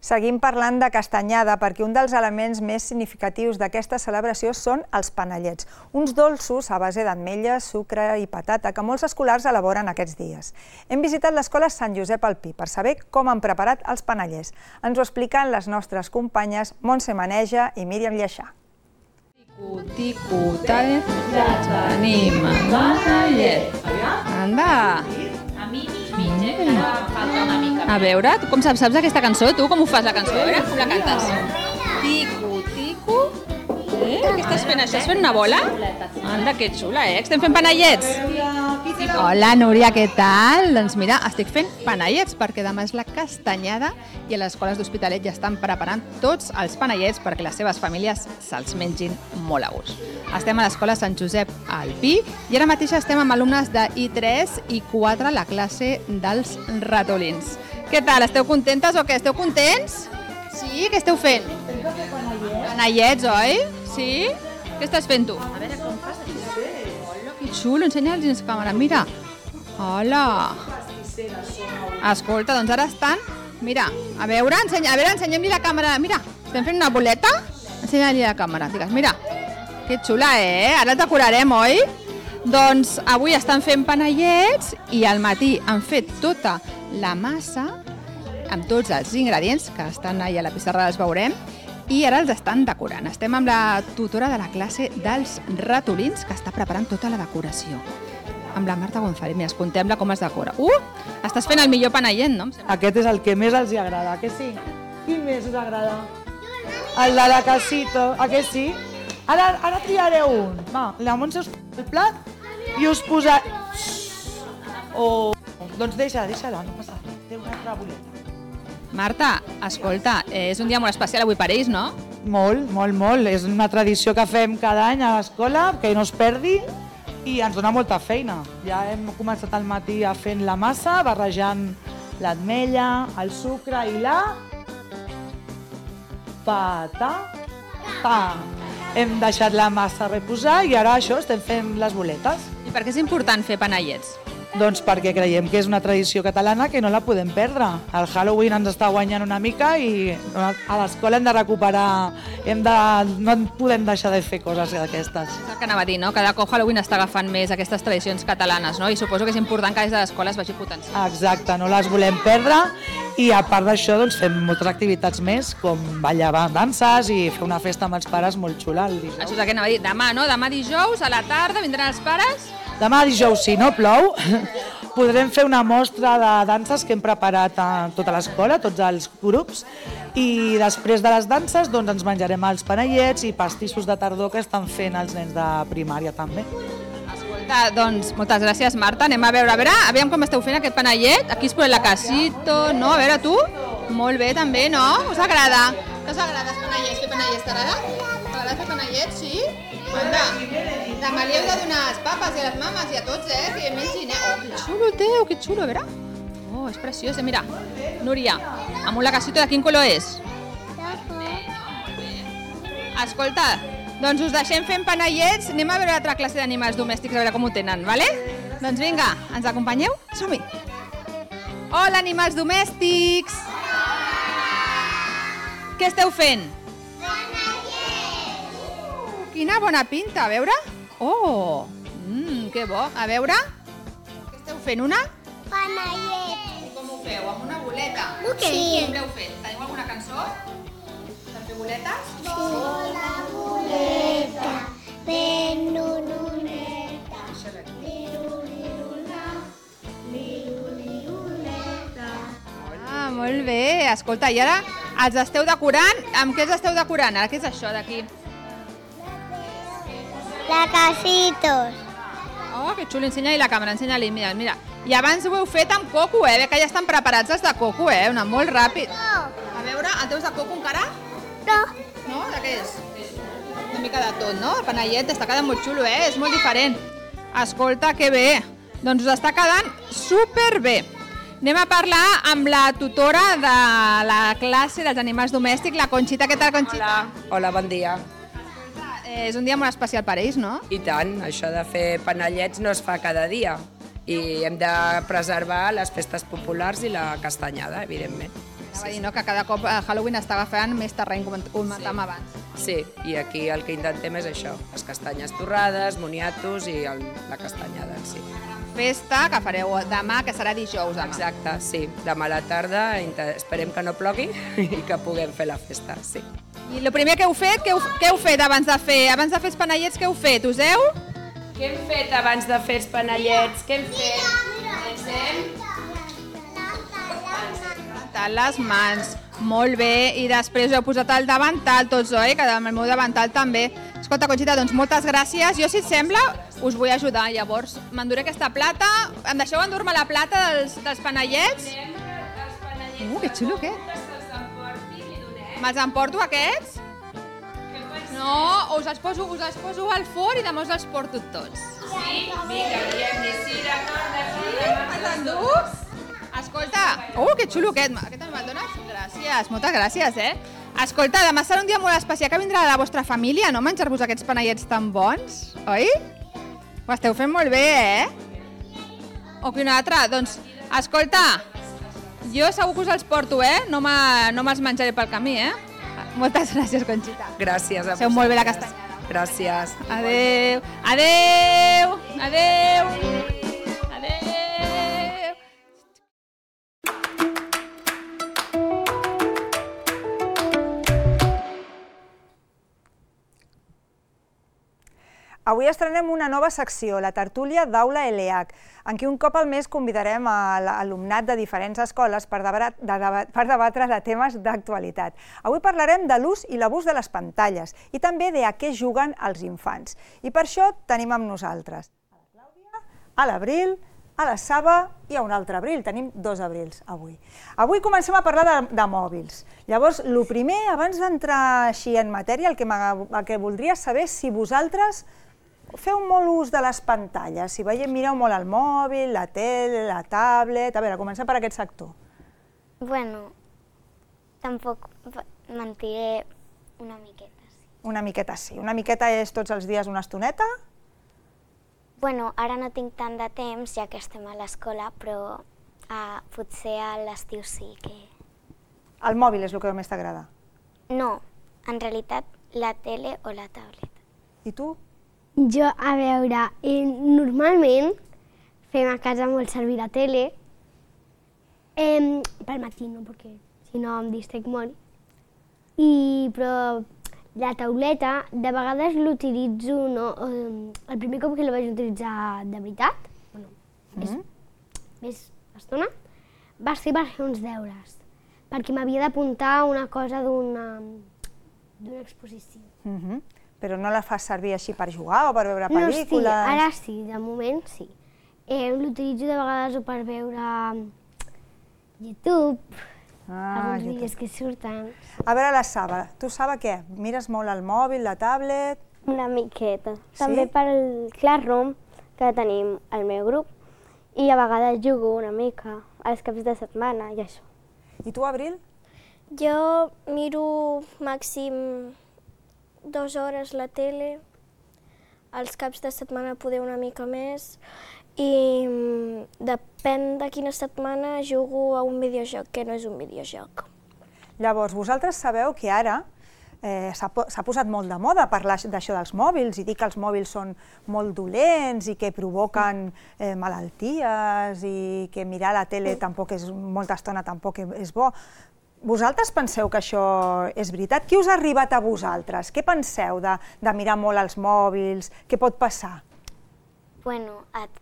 [SPEAKER 2] Seguim parlant de castanyada perquè un dels elements més significatius d'aquesta celebració són els panellets, uns dolços a base d'ametlles, sucre i patata que molts escolars elaboren aquests dies. Hem visitat l'escola Sant Josep al Pi per saber com han preparat els panellets. Ens ho expliquen les nostres companyes Montse Maneja i Míriam Lleixà.
[SPEAKER 19] Ticu-ticu-talet, ja tenim el panellet. Anda! A veure, tu com saps aquesta cançó? Tu com ho fas, la cançó? A veure, com la cantes? Ticu, ticu, Què estàs fent? Això és fent una bola? Anda, que xula, Estem fent panellets. Hola, Núria, què tal? Doncs mira, estic fent panellets perquè demà és la castanyada i a les escoles d'Hospitalet ja estan preparant tots els panellets perquè les seves famílies se'ls mengin molt a gust. Estem a l'escola Sant Josep al Pi i ara mateix estem amb alumnes de I3 i 4 a la classe dels ratolins. Què tal? Esteu contentes o què? Esteu contents? Sí? Què esteu fent? Panellets, oi? Sí? Què estàs fent tu? A veure com fas. Hola, que xulo, ensenya'ls dins càmera, mira. Hola. Escolta, doncs ara estan... Mira, a veure, ensenyem-li la càmera. Mira, estem fent una boleta? Ensenya-li la càmera, digues, mira. Que xula, Ara el decorarem, oi? Doncs avui estan fent panellets i al matí han fet tota la massa amb tots els ingredients que estan allà a la pissarra, els veurem, i ara els estan decorant. Estem amb la tutora de la classe dels ratolins que està preparant tota la decoració. Amb la Marta González, mira, contem-la com es decora. Estàs fent el millor panellet, no?
[SPEAKER 20] Aquest és el que més els agrada, que sí? Quin més us agrada? El de la casito, a que sí? Ara triareu un. Va, la Montse us posa el plat i us posa... Doncs deixa-la, no passa res. Té una altra boleta.
[SPEAKER 19] Marta, escolta, és un dia molt especial avui per ells, no?
[SPEAKER 20] Molt, molt, molt. És una tradició que fem cada any a l'escola, que no es perdi, i ens dona molta feina. Ja hem començat al matí fent la massa, barrejant l'ametlla, el sucre i la... patata. Hem deixat la massa reposar i ara això, estem fent les boletes.
[SPEAKER 19] I per què és important fer panellets?
[SPEAKER 20] Doncs perquè creiem que és una tradició catalana que no la podem perdre. El Halloween ens està guanyant una mica i a l'escola hem de recuperar, no podem deixar de fer coses d'aquestes.
[SPEAKER 19] És el que anava a dir, no? Cada cop Halloween està agafant més aquestes tradicions catalanes, no? I suposo que és important que des de l'escola es vagi potenciant.
[SPEAKER 20] Exacte, no les volem perdre i a part d'això doncs, fem moltes activitats més, com ballar danses i fer una festa amb els pares molt xula el dijous.
[SPEAKER 19] Això és el que anava a dir, demà, no? Demà dijous, a la tarda, vindran els pares...
[SPEAKER 20] Demà dijous, si no plou, podrem fer una mostra de danses que hem preparat a tota l'escola, tots els grups, i després de les danses doncs, ens menjarem els panellets i pastissos de tardor que estan fent els nens de primària també.
[SPEAKER 19] Escolta, doncs moltes gràcies, Marta. Anem a veure com esteu fent aquest panellet. Aquí es posa la casito, no? A veure, tu? Molt bé, també, no? Us agrada? No us agrada els panellets? Fer panellets t'agrada? T'agrada fer panellets, sí? Anda, demà li heu de donar als papes i a les mames i a tots, que mengin, que xulo teu, que xulo, a veure. És preciós, mira. Núria, amb un lacacito de quin color és? Escolta, doncs us deixem fent panellets, anem a veure l'altra classe d'animals domèstics, a veure com ho tenen, vale? Doncs vinga, ens acompanyeu? Som-hi! Hola, animals domèstics! Què esteu fent? Quina bona pinta, a veure? Que bo. A veure? Què esteu fent, una?
[SPEAKER 21] Panellet.
[SPEAKER 19] I com ho feu? Amb una boleta?
[SPEAKER 21] Sí.
[SPEAKER 19] Què l'heu fet? Teniu alguna cançó? Per fer boletes?
[SPEAKER 21] Bola, boleta, ben luneta, liruliruleta.
[SPEAKER 19] Molt bé. Escolta, i ara els esteu decorant? Amb què els esteu decorant? Ara què és això d'aquí?
[SPEAKER 21] La casitos.
[SPEAKER 19] Que xulo, ensenya-li la càmera, ensenya-li, mira. I abans ho heu fet amb coco, que ja estan preparats els de coco, una molt ràpid. A veure, el teus de coco encara?
[SPEAKER 21] No.
[SPEAKER 19] No? De què és? Una mica de tot, no? El panellet està quedant molt xulo, és molt diferent. Escolta, que bé. Doncs us està quedant superbé. Anem a parlar amb la tutora de la classe dels animals domèstics, la Conxita. Què tal, Conxita?
[SPEAKER 22] Hola, bon dia.
[SPEAKER 19] És un dia molt especial per ells, no?
[SPEAKER 22] I tant, això de fer panellets no es fa cada dia i hem de preservar les festes populars i la castanyada, evidentment.
[SPEAKER 19] Anava a dir, no?, que cada cop Halloween està agafant més terreny, com comentàvem abans.
[SPEAKER 22] Sí, i aquí el que intentem és això, les castanyes torrades, moniatos i la castanyada en si.
[SPEAKER 19] Festa que fareu demà, que serà dijous demà.
[SPEAKER 22] Exacte, sí. Demà a la tarda esperem que no plogui i que puguem fer la festa, sí.
[SPEAKER 19] I el primer que heu fet, què heu fet abans de fer els panellets, què heu fet? Us heu?
[SPEAKER 22] Què hem fet abans de fer els panellets? Què hem fet? Ens hem
[SPEAKER 19] rentat les mans. Molt bé, i després heu posat el davantal tots, oi? Que amb el meu davantal també. Escolta, Conxita, doncs moltes gràcies. Jo, si et sembla, us vull ajudar. Llavors, m'enduré aquesta plata. Em deixeu endur-me la plata dels panellets? Que xulo, què? Me'ls emporto, aquests? No, us els poso al forn i demà us els porto tots. Sí? Vinga, diem-li me'ls enduc? Escolta, que xulo aquest també me'l dones? Gràcies, moltes gràcies, Escolta, demà serà un dia molt especial que vindrà la vostra família, no? Menjar-vos aquests panellets tan bons, oi? Ho esteu fent molt bé, O que un altre? Doncs, escolta, jo segur que us els porto, no me'ls menjaré pel camí, Moltes gràcies, Conxita.
[SPEAKER 22] Gràcies.
[SPEAKER 19] Feu molt bé la castanyada.
[SPEAKER 22] Gràcies.
[SPEAKER 19] Adéu. Adéu. Adéu.
[SPEAKER 2] Avui estrenem una nova secció, la tertúlia d'Aula ELEAC, en què un cop al mes convidarem a l'alumnat de diferents escoles per debatre de temes d'actualitat. Avui parlarem de l'ús i l'abús de les pantalles i també de a què juguen els infants. I per això tenim amb nosaltres a la Clàudia, a l'Abril, a la Saba i a un altre Abril. Tenim 2 Abrils avui. Avui comencem a parlar de mòbils. Llavors, el primer, abans d'entrar així en matèria, el que voldria saber és si vosaltres feu molt ús de les pantalles, si mireu molt el mòbil, la tele, la tablet... A veure, comencem per aquest sector.
[SPEAKER 21] Bueno, tampoc mentiré una miqueta, sí.
[SPEAKER 2] Una miqueta sí. Una miqueta és tots els dies una estoneta?
[SPEAKER 21] Bueno, ara no tinc tant de temps, ja que estem a l'escola, però potser a l'estiu sí que...
[SPEAKER 2] El mòbil és el que més t'agrada?
[SPEAKER 21] No, en realitat la tele o la tablet.
[SPEAKER 2] I tu?
[SPEAKER 21] Jo, a veure, normalment fem a casa molt servir la tele, pel matí no, perquè si no em distrec molt, però la tauleta de vegades l'utilitzo, el primer cop que la vaig utilitzar de veritat, més estona, va ser per fer uns deures, perquè m'havia d'apuntar una cosa d'una exposició.
[SPEAKER 2] Però no la fas servir així per jugar o per veure pel·lícules?
[SPEAKER 21] No, sí, ara sí, de moment sí. L'utilitzo de vegades per veure YouTube, alguns vídeos que surten.
[SPEAKER 2] A veure, la Saba, tu, Saba, què? Mires molt el mòbil, la tablet?
[SPEAKER 1] Una miqueta. També pel Classroom, que tenim al meu grup, i a vegades jugo una mica als caps de setmana i això.
[SPEAKER 2] I tu, Abril?
[SPEAKER 3] Jo miro màxim 2 hores la tele, als caps de setmana poder una mica més i depèn de quina setmana jugo a un videojoc que no és un videojoc.
[SPEAKER 2] Llavors, vosaltres sabeu que ara s'ha posat molt de moda parlar d'això dels mòbils i dir que els mòbils són molt dolents i que provoquen malalties i que mirar la tele molta estona tampoc és bo. Vosaltres penseu que això és veritat? Què us ha arribat a vosaltres? Què penseu de mirar molt els mòbils? Què pot passar?
[SPEAKER 21] Bueno, et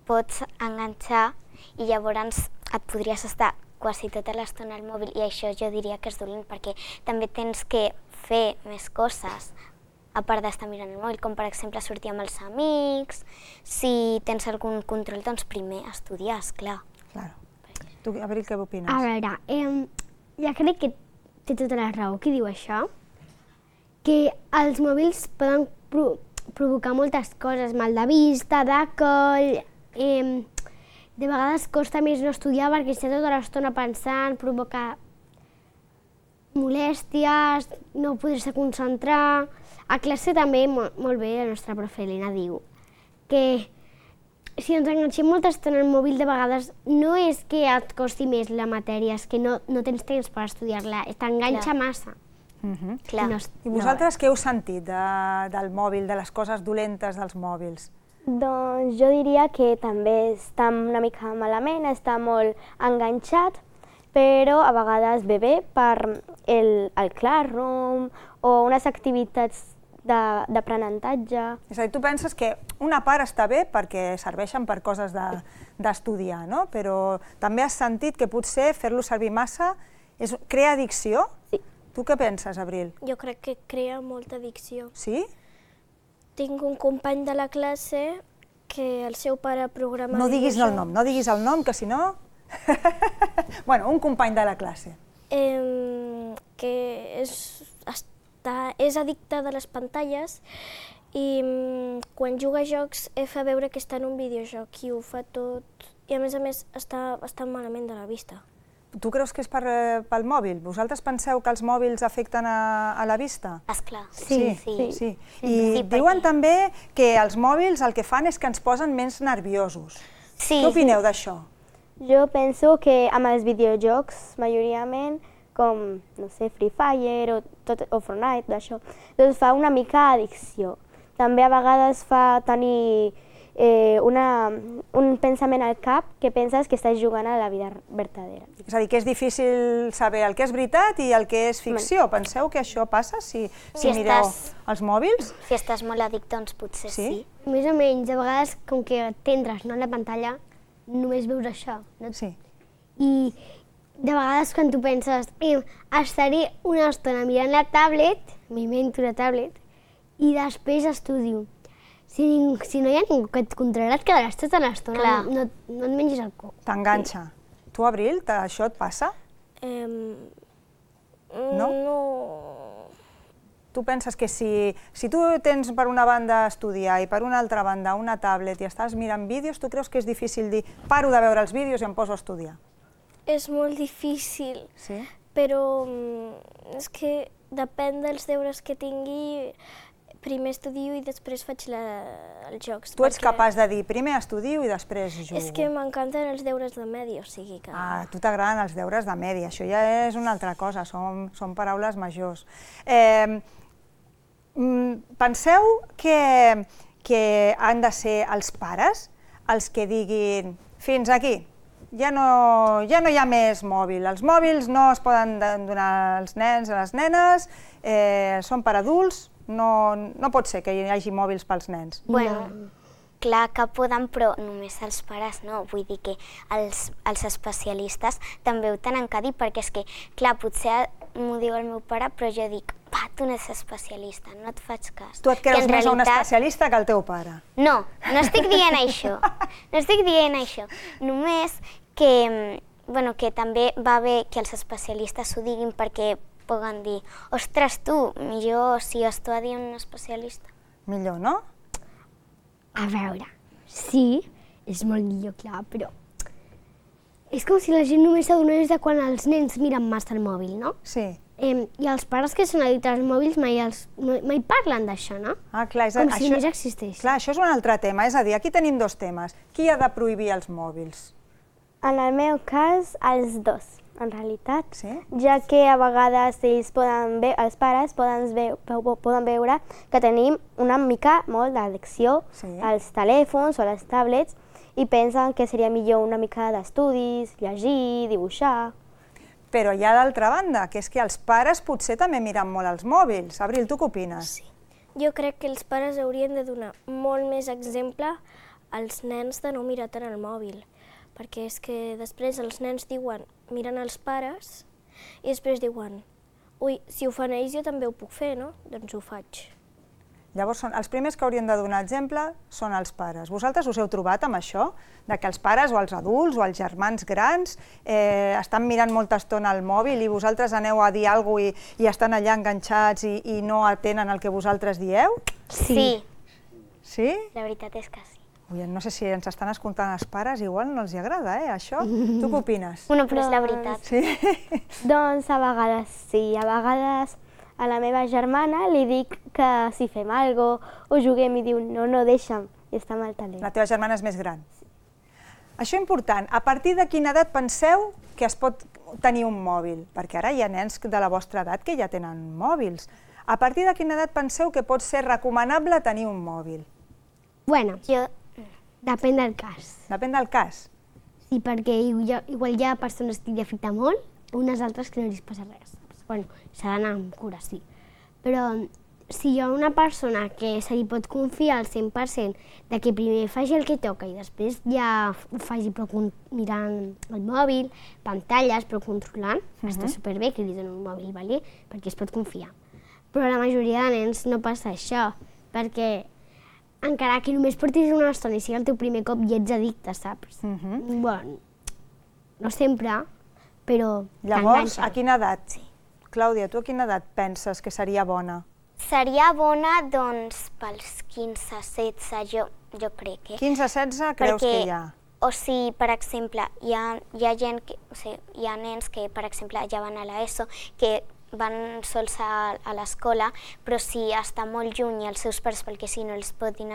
[SPEAKER 21] pots enganxar i llavors et podries estar quasi tota l'estona al mòbil i això jo diria que és dolent perquè també tens que fer més coses a part d'estar mirant el mòbil, com per exemple sortir amb els amics, si tens algun control, doncs primer estudiar, esclar.
[SPEAKER 2] Claro. Tu, Abril, què opines?
[SPEAKER 21] A veure, ja crec que té tota la raó qui diu això, que els mòbils poden provocar moltes coses, mal de vista, de coll, de vegades costa més no estudiar perquè estàs tota l'estona pensant, provoca molèsties, no poder-se concentrar. A classe també, molt bé, la nostra profe Helena diu que si ens enganxem molta estona al mòbil, de vegades no és que et costi més la matèria, és que no tens temps per estudiar-la, t'enganxa massa.
[SPEAKER 2] I vosaltres què heu sentit del mòbil, de les coses dolentes dels mòbils?
[SPEAKER 1] Doncs jo diria que també està una mica malament, està molt enganxat, però a vegades ve bé per el Classroom o unes activitats d'aprenentatge.
[SPEAKER 2] És a dir, tu penses que una part està bé perquè serveixen per coses d'estudiar, no? Però també has sentit que potser fer-lo servir massa crea addicció?
[SPEAKER 1] Sí.
[SPEAKER 2] Tu què penses, Abril?
[SPEAKER 3] Jo crec que crea molta addicció.
[SPEAKER 2] Sí?
[SPEAKER 3] Tinc un company de la classe que el seu pare programa...
[SPEAKER 2] No diguis el nom, no diguis el nom, que si no... Bueno, un company de la classe.
[SPEAKER 3] Que és addicte de les pantalles i quan juga a jocs fa veure que està en un videojoc i ho fa tot... I a més està malament de la vista.
[SPEAKER 2] Tu creus que és pel mòbil? Vosaltres penseu que els mòbils afecten a la vista?
[SPEAKER 21] Esclar,
[SPEAKER 2] sí. I diuen també que els mòbils el que fan és que ens posen menys nerviosos. Què opineu d'això?
[SPEAKER 1] Jo penso que amb els videojocs, majoritament, com, no sé, Free Fire o Fortnite, d'això, doncs fa una mica addicció. També a vegades fa tenir un pensament al cap que penses que estàs jugant a la vida verdadera.
[SPEAKER 2] És a dir, que és difícil saber el que és veritat i el que és ficció. Penseu que això passa si mireu els mòbils?
[SPEAKER 21] Si estàs molt addicte, doncs potser sí.
[SPEAKER 5] Més o menys, a vegades, com que t'entres en la pantalla, només veus això.
[SPEAKER 2] Sí.
[SPEAKER 5] I de vegades quan tu penses, estaré una estona mirant la tablet, m'invento la tablet, i després estudio. Si no hi ha ningú que et controla, et quedaràs tota l'estona, no et mengis el coc.
[SPEAKER 2] T'enganxa. Tu, Abril, això et passa? No? Tu penses que si tu tens per una banda estudiar i per una altra banda una tablet i estàs mirant vídeos, tu creus que és difícil dir paro de veure els vídeos i em poso a estudiar?
[SPEAKER 3] És molt difícil, però és que depèn dels deures que tingui. Primer estudio i després faig els jocs.
[SPEAKER 2] Tu ets capaç de dir primer estudio i després jugo.
[SPEAKER 3] És que m'encanten els deures de medi, o sigui que...
[SPEAKER 2] A tu t'agraden els deures de medi, això ja és una altra cosa, són paraules majors. Penseu que han de ser els pares els que diguin fins aquí, ja no hi ha més mòbil, els mòbils no es poden donar als nens, a les nenes, són per adults, no pot ser que hi hagi mòbils pels nens.
[SPEAKER 21] Bueno, clar que poden, però només els pares no. Vull dir que els especialistes també ho tenen que dir, perquè és que, clar, potser m'ho diu el meu pare, però jo dic, tu no ets especialista, no et faig cas.
[SPEAKER 2] Tu et creus més un especialista que el teu pare.
[SPEAKER 21] No, no estic dient això. No estic dient això. Només que també va bé que els especialistes ho diguin perquè poden dir, ostres, tu, millor si estàs dient un especialista.
[SPEAKER 2] Millor, no?
[SPEAKER 5] A veure, sí, és molt millor, clar, però és com si la gent només s'adonés de quan els nens miren massa el mòbil, no?
[SPEAKER 2] Sí.
[SPEAKER 5] I els pares que són addictes als mòbils mai parlen d'això, no?
[SPEAKER 2] Clar,
[SPEAKER 5] com si només existeix.
[SPEAKER 2] Clar, això és un altre tema, és a dir, aquí tenim dos temes. Qui ha de prohibir els mòbils?
[SPEAKER 1] En el meu cas, els dos, en realitat, ja que a vegades els pares poden veure que tenim una mica molt d'addicció als telèfons o a les tablets i pensen que seria millor una mica d'estudis, llegir, dibuixar.
[SPEAKER 2] Però hi ha l'altra banda, que és que els pares potser també miren molt els mòbils. Abril, tu què opines?
[SPEAKER 3] Sí. Jo crec que els pares haurien de donar molt més exemple als nens de no mirar tant el mòbil, perquè és que després els nens diuen, miren els pares, i després diuen, ui, si ho fan ells jo també ho puc fer, no? Doncs ho faig.
[SPEAKER 2] Llavors, els primers que haurien de donar exemple són els pares. Vosaltres us heu trobat amb això? De que els pares o els adults o els germans grans estan mirant molta estona al mòbil i vosaltres aneu a dir alguna cosa i estan allà enganxats i no atenen el que vosaltres dieu?
[SPEAKER 21] Sí.
[SPEAKER 2] Sí?
[SPEAKER 21] La veritat és que sí.
[SPEAKER 2] No sé si ens estan escoltant els pares, igual no els agrada, això. Tu què opines?
[SPEAKER 21] Bueno, però és la veritat.
[SPEAKER 2] Sí?
[SPEAKER 1] Doncs a vegades sí, a vegades a la meva germana li dic que si fem alguna cosa o juguem i diu no, deixa'm, i està amb el telèfon.
[SPEAKER 2] La teva germana és més gran. Això és important. A partir de quina edat penseu que es pot tenir un mòbil? Perquè ara hi ha nens de la vostra edat que ja tenen mòbils. A partir de quina edat penseu que pot ser recomanable tenir un mòbil?
[SPEAKER 5] Bueno, depèn del cas.
[SPEAKER 2] Depèn del cas?
[SPEAKER 5] Sí, perquè igual hi ha persones que li afecta molt, unes altres que no li passa res. Bueno, s'ha d'anar amb cura, sí. Però si hi ha una persona que se li pot confiar al 100% de que primer faci el que toca i després ja ho faci però mirant el mòbil, pantalles, però controlant, està superbé que li donen un mòbil, perquè es pot confiar. Però la majoria de nens no passa això, perquè encara que només portis una estona i sigui el teu primer cop i ets addicte, saps? Bueno, no sempre, però
[SPEAKER 2] llavors, a quina edat? Clàudia, tu a quina edat penses que seria bona?
[SPEAKER 21] Seria bona, doncs, pels 15-16, jo crec.
[SPEAKER 2] 15-16 creus que hi ha?
[SPEAKER 21] O sigui, per exemple, hi ha gent que, o sigui, hi ha nens que, per exemple, ja van a l'ESO, que van sols a l'escola, però si està molt lluny els seus pares, perquè si no es puguin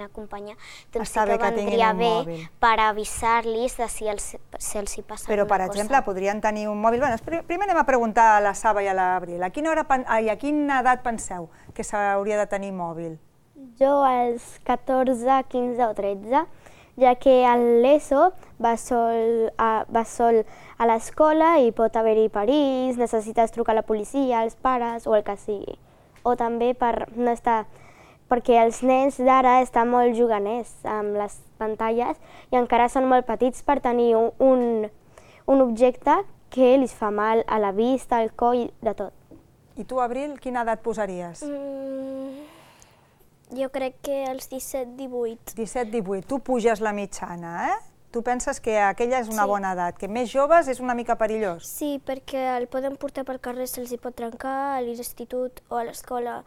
[SPEAKER 21] acompanyar, doncs sí que vendria bé per avisar-los de si els hi passa alguna cosa.
[SPEAKER 2] Però, per exemple, podrien tenir un mòbil... Primer anem a preguntar a la Saba i a l'Abril. A quina edat penseu que s'hauria de tenir mòbil?
[SPEAKER 1] Jo als 14, 15 o 13, ja que a l'ESO va sol a l'escola i pot haver-hi perills, necessites trucar a la policia, als pares o el que sigui. O també per no estar... perquè els nens d'ara estan molt juganers amb les pantalles i encara són molt petits per tenir un objecte que els fa mal a la vista, al coll, de tot.
[SPEAKER 2] I tu, Abril, quina edat posaries?
[SPEAKER 3] Jo crec que als 17-18.
[SPEAKER 2] 17-18. Tu puges la mitjana, Tu penses que aquella és una bona edat, que més joves és una mica perillós?
[SPEAKER 3] Sí, perquè el poden portar pel carrer, se'ls pot trencar, a l'institut o a l'escola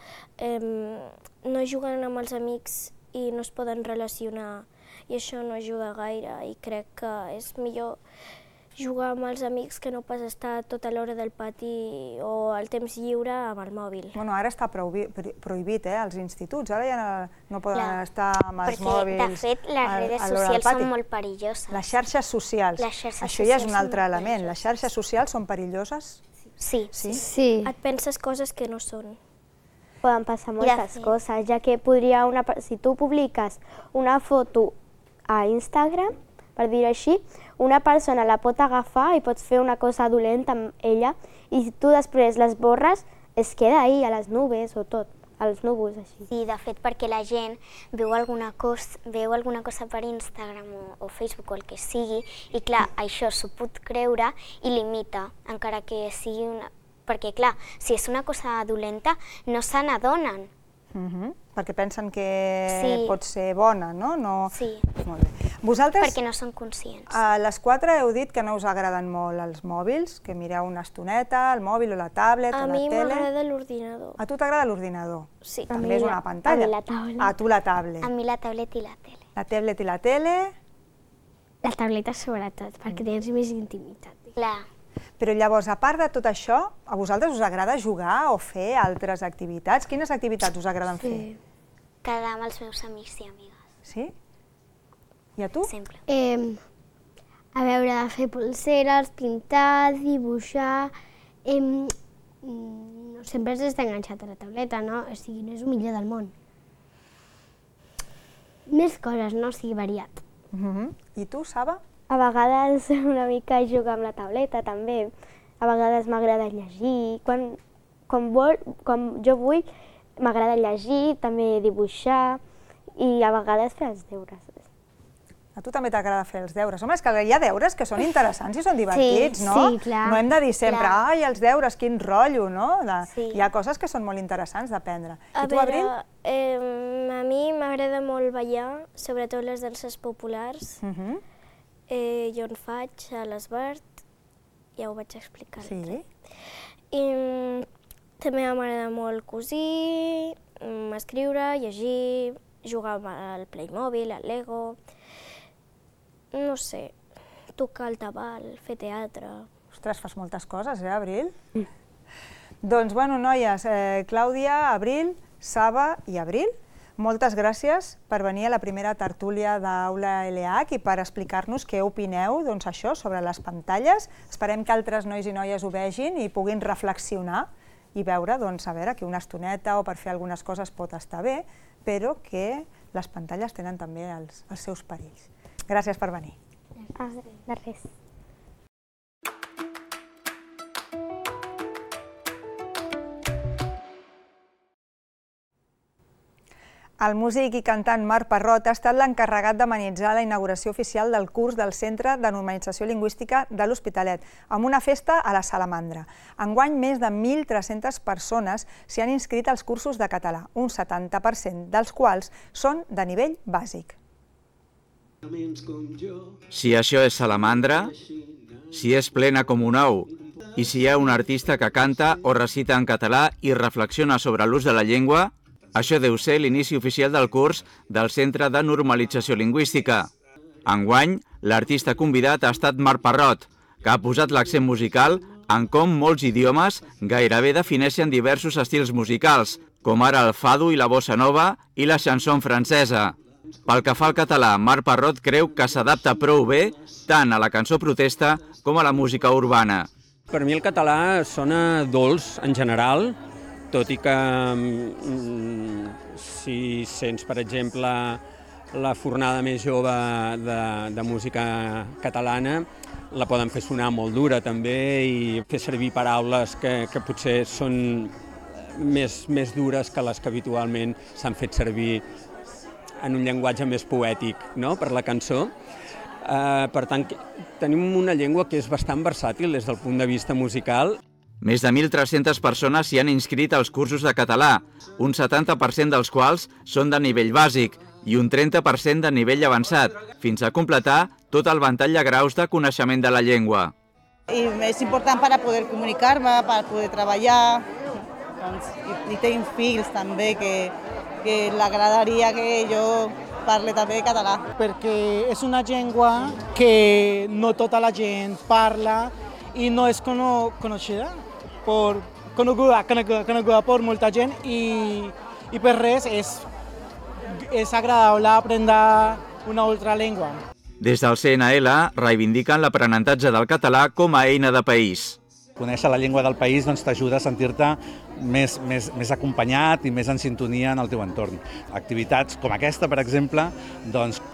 [SPEAKER 3] no juguen amb els amics i no es poden relacionar i això no ajuda gaire i crec que és millor jugar amb els amics que no pas estar tota l'hora del pati o al temps lliure amb el mòbil.
[SPEAKER 2] Bueno, ara està prohibit, als instituts, ara ja no poden estar amb els mòbils.
[SPEAKER 21] Perquè, de fet, les redes socials són molt perilloses.
[SPEAKER 2] Les xarxes socials. Això ja és un altre element. Les xarxes socials són perilloses?
[SPEAKER 21] Sí.
[SPEAKER 3] Et penses coses que no són.
[SPEAKER 1] Poden passar moltes coses, ja que si tu publiques una foto a Instagram, per dir-ho així, una persona la pot agafar i pots fer una cosa dolenta amb ella i tu després les borres, es queda ahí, a les nubes o tot, als núvols, així.
[SPEAKER 21] Sí, de fet, perquè la gent veu alguna cosa per Instagram o Facebook o el que sigui i, clar, això s'ho pot creure i limita, encara que sigui una... Perquè, clar, si és una cosa dolenta, no se n'adonen.
[SPEAKER 2] Perquè pensen que pot ser bona, no?
[SPEAKER 21] Sí.
[SPEAKER 2] Molt bé. Vosaltres...
[SPEAKER 21] Perquè no són conscients.
[SPEAKER 2] A les 4 heu dit que no us agraden molt els mòbils, que mireu una estoneta, el mòbil o la tablet o la tele.
[SPEAKER 3] A mi m'agrada l'ordinador.
[SPEAKER 2] A tu t'agrada l'ordinador?
[SPEAKER 3] Sí.
[SPEAKER 2] També és una pantalla.
[SPEAKER 21] A mi la tablet.
[SPEAKER 2] A tu la tablet.
[SPEAKER 21] A mi la tablet i la tele.
[SPEAKER 2] La tablet i la tele?
[SPEAKER 5] La tableta sobretot, perquè tens més intimitat.
[SPEAKER 21] Clar.
[SPEAKER 2] Però llavors, a part de tot això, a vosaltres us agrada jugar o fer altres activitats? Quines activitats us agraden fer?
[SPEAKER 21] Quedar amb els meus amics i amigues.
[SPEAKER 2] Sí? I a tu?
[SPEAKER 21] Sempre.
[SPEAKER 5] A veure, fer pulseres, pintar, dibuixar... Sempre has d'estar enganxat a la tauleta, no? O sigui, no és el millor del món. Més coses, no? O sigui, variat.
[SPEAKER 2] I tu, Saba?
[SPEAKER 1] A vegades una mica jugar amb la tauleta, també. A vegades m'agrada llegir. Quan jo vull, m'agrada llegir, també dibuixar i a vegades fer els deures.
[SPEAKER 2] A tu també t'agrada fer els deures. Home, és que hi ha deures que són interessants i són divertits, no?
[SPEAKER 5] Sí, clar.
[SPEAKER 2] No hem de dir sempre, ai, els deures, quin rotllo, no? Hi ha coses que són molt interessants d'aprendre. I tu, Abril?
[SPEAKER 3] A mi m'agrada molt ballar, sobretot les danses populars. Jo en faig a l'Esbart, ja ho vaig explicar.
[SPEAKER 2] Sí.
[SPEAKER 3] I també m'agrada molt cosir, escriure, llegir, jugar amb el Playmobil, el Lego... No sé, tocar el tabal, fer teatre...
[SPEAKER 2] Ostres, fas moltes coses, Abril? Doncs, bueno, noies, Clàudia, Abril, Saba i Abril, moltes gràcies per venir a la primera tertúlia d'Aula LH i per explicar-nos què opineu, doncs, això, sobre les pantalles. Esperem que altres nois i noies ho vegin i puguin reflexionar i veure, doncs, a veure, que una estoneta o per fer algunes coses pot estar bé, però que les pantalles tenen també els seus perills. Gràcies per venir.
[SPEAKER 1] De res.
[SPEAKER 2] El músic i cantant Marc Parrot ha estat l'encarregat d'amenitzar la inauguració oficial del curs del Centre de Normalització Lingüística de l'Hospitalet, amb una festa a la Salamandra. Enguany, més de 1.300 persones s'hi han inscrit als cursos de català, un 70% dels quals són de nivell bàsic.
[SPEAKER 4] Si això és Salamandra, si és plena com un ou, i si hi ha un artista que canta o recita en català i reflexiona sobre l'ús de la llengua, això deu ser l'inici oficial del curs del Centre de Normalització Lingüística. Enguany, l'artista convidat ha estat Marc Parrot, que ha posat l'accent musical en com molts idiomes gairebé defineixen diversos estils musicals, com ara el fado i la bossa nova i la chanson francesa. Pel que fa al català, Marc Parrot creu que s'adapta prou bé tant a la cançó protesta com a la música urbana.
[SPEAKER 7] Per mi el català sona dolç en general, tot i que si sents, per exemple, la fornada més jove de música catalana, la poden fer sonar molt dura també i fer servir paraules que potser són més dures que les que habitualment s'han fet servir en un llenguatge més poètic, no?, per la cançó. Per tant, tenim una llengua que és bastant versàtil des del punt de vista musical.
[SPEAKER 4] Més de 1.300 persones s'hi han inscrit als cursos de català, un 70% dels quals són de nivell bàsic i un 30% de nivell avançat, fins a completar tot el ventall de graus de coneixement de la llengua.
[SPEAKER 23] I és important per poder comunicar-me, per poder treballar, i tinc fills també que l'agradaria que jo parle també català.
[SPEAKER 24] Perquè és una llengua que no tota la gent parla i no és coneguda per molta gent i per res és agradable aprendre una altra llengua.
[SPEAKER 4] Des del CNL reivindiquen l'aprenentatge del català com a eina de país.
[SPEAKER 25] Conèixer la llengua del país t'ajuda a sentir-te més acompanyat i més en sintonia en el teu entorn. Activitats com aquesta, per exemple,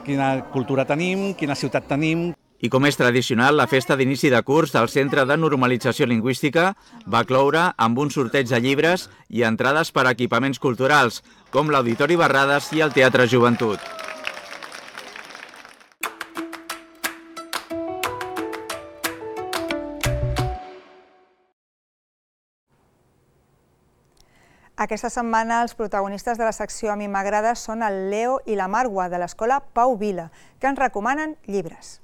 [SPEAKER 25] quina cultura tenim, quina ciutat tenim.
[SPEAKER 4] I com és tradicional, la festa d'inici de curs del Centre de Normalització Lingüística va cloure amb un sorteig de llibres i entrades per a equipaments culturals, com l'Auditori Barrades i el Teatre Joventut.
[SPEAKER 2] Aquesta setmana els protagonistes de la secció A mi m'agrada són el Leo i la Marwa de l'escola Pau Vila, que ens recomanen llibres.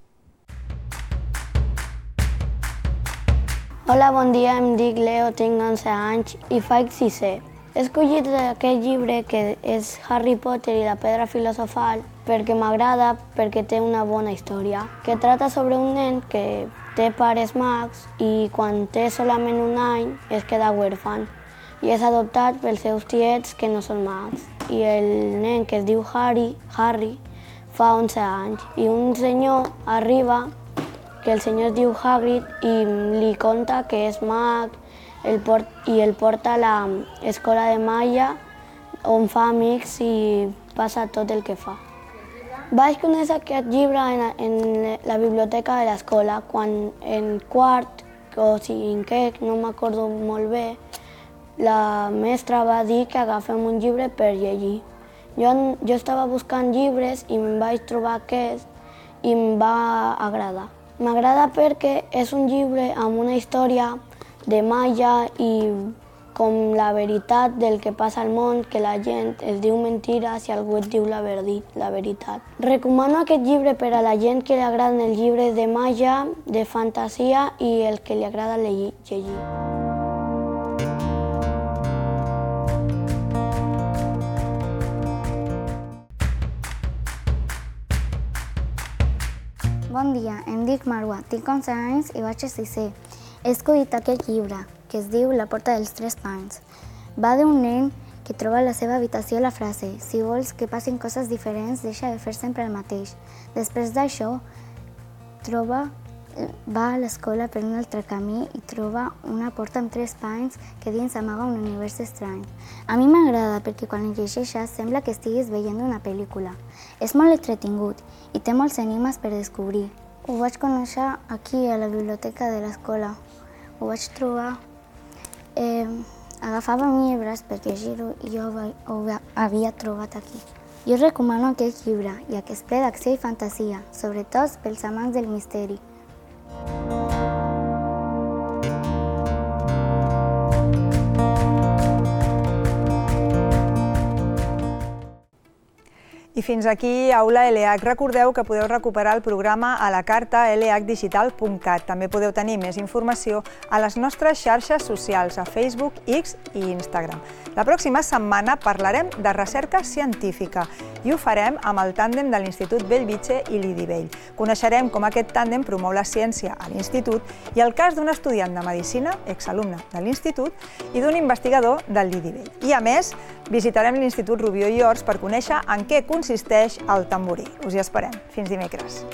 [SPEAKER 26] Hola, bon dia, em dic Leo, tinc 11 anys i faig 6è. He escollit aquest llibre que és Harry Potter i la pedra filosofal perquè m'agrada, perquè té una bona història, que trata sobre un nen que té pares mags i quan té solament un any es queda huérfan i és adoptat pels seus tiets que no són mags. I el nen que es diu Harry fa 11 anys i un senyor arriba que el senyor es diu Hagrid i li conta que és mag i el porta a l'escola de màgia on fa amics i passa tot el que fa. Vaig conèixer aquest llibre en la biblioteca de l'escola quan en quart o cinquè, no m'acordo molt bé, la mestra va dir que agafem un llibre per llegir. Jo estava buscant llibres i em vaig trobar aquest i em va agradar. M'agrada perquè és un llibre amb una història de màgia i com la veritat del que passa al món, que la gent es diu mentires i algú et diu la veritat. Recomano aquest llibre per a la gent que li agraden els llibres de màgia, de fantasia i el que li agrada llegir.
[SPEAKER 27] Bon dia, em dic Marwa, tinc 11 anys i vaig a 6è. He escollit aquest llibre, que es diu La porta dels 3 pans. Va d'un nen que troba a la seva habitació la frase «Si vols que passin coses diferents, deixa de fer sempre el mateix». Després d'això, va a l'escola per un altre camí i troba una porta amb 3 pans que dins amaga un univers estrany. A mi m'agrada perquè quan el llegeixes sembla que estiguis veient una pel·lícula. És molt entretingut i té molts enigmes per descobrir. Ho vaig conèixer aquí a la biblioteca de l'escola. Ho vaig trobar Agafàvem llibres perquè jo ho havia trobat aquí. Jo recomano aquest llibre, ja que és ple d'acció i fantasia, sobretot pels amants del misteri.
[SPEAKER 2] I fins aquí Aula LH. Recordeu que podeu recuperar el programa a la carta lhdigital.cat. També podeu tenir més informació a les nostres xarxes socials, a Facebook, X i Instagram. La pròxima setmana parlarem de recerca científica i ho farem amb el tàndem de l'Institut Bellvitge i l'IDIVELL. Coneixerem com aquest tàndem promou la ciència a l'Institut i el cas d'un estudiant de Medicina, exalumne de l'Institut, i d'un investigador del l'IDIVELL. I a més, visitarem l'Institut Rubió i Ors per conèixer en què consisteix el tamborí. Us hi esperem. Fins dimecres.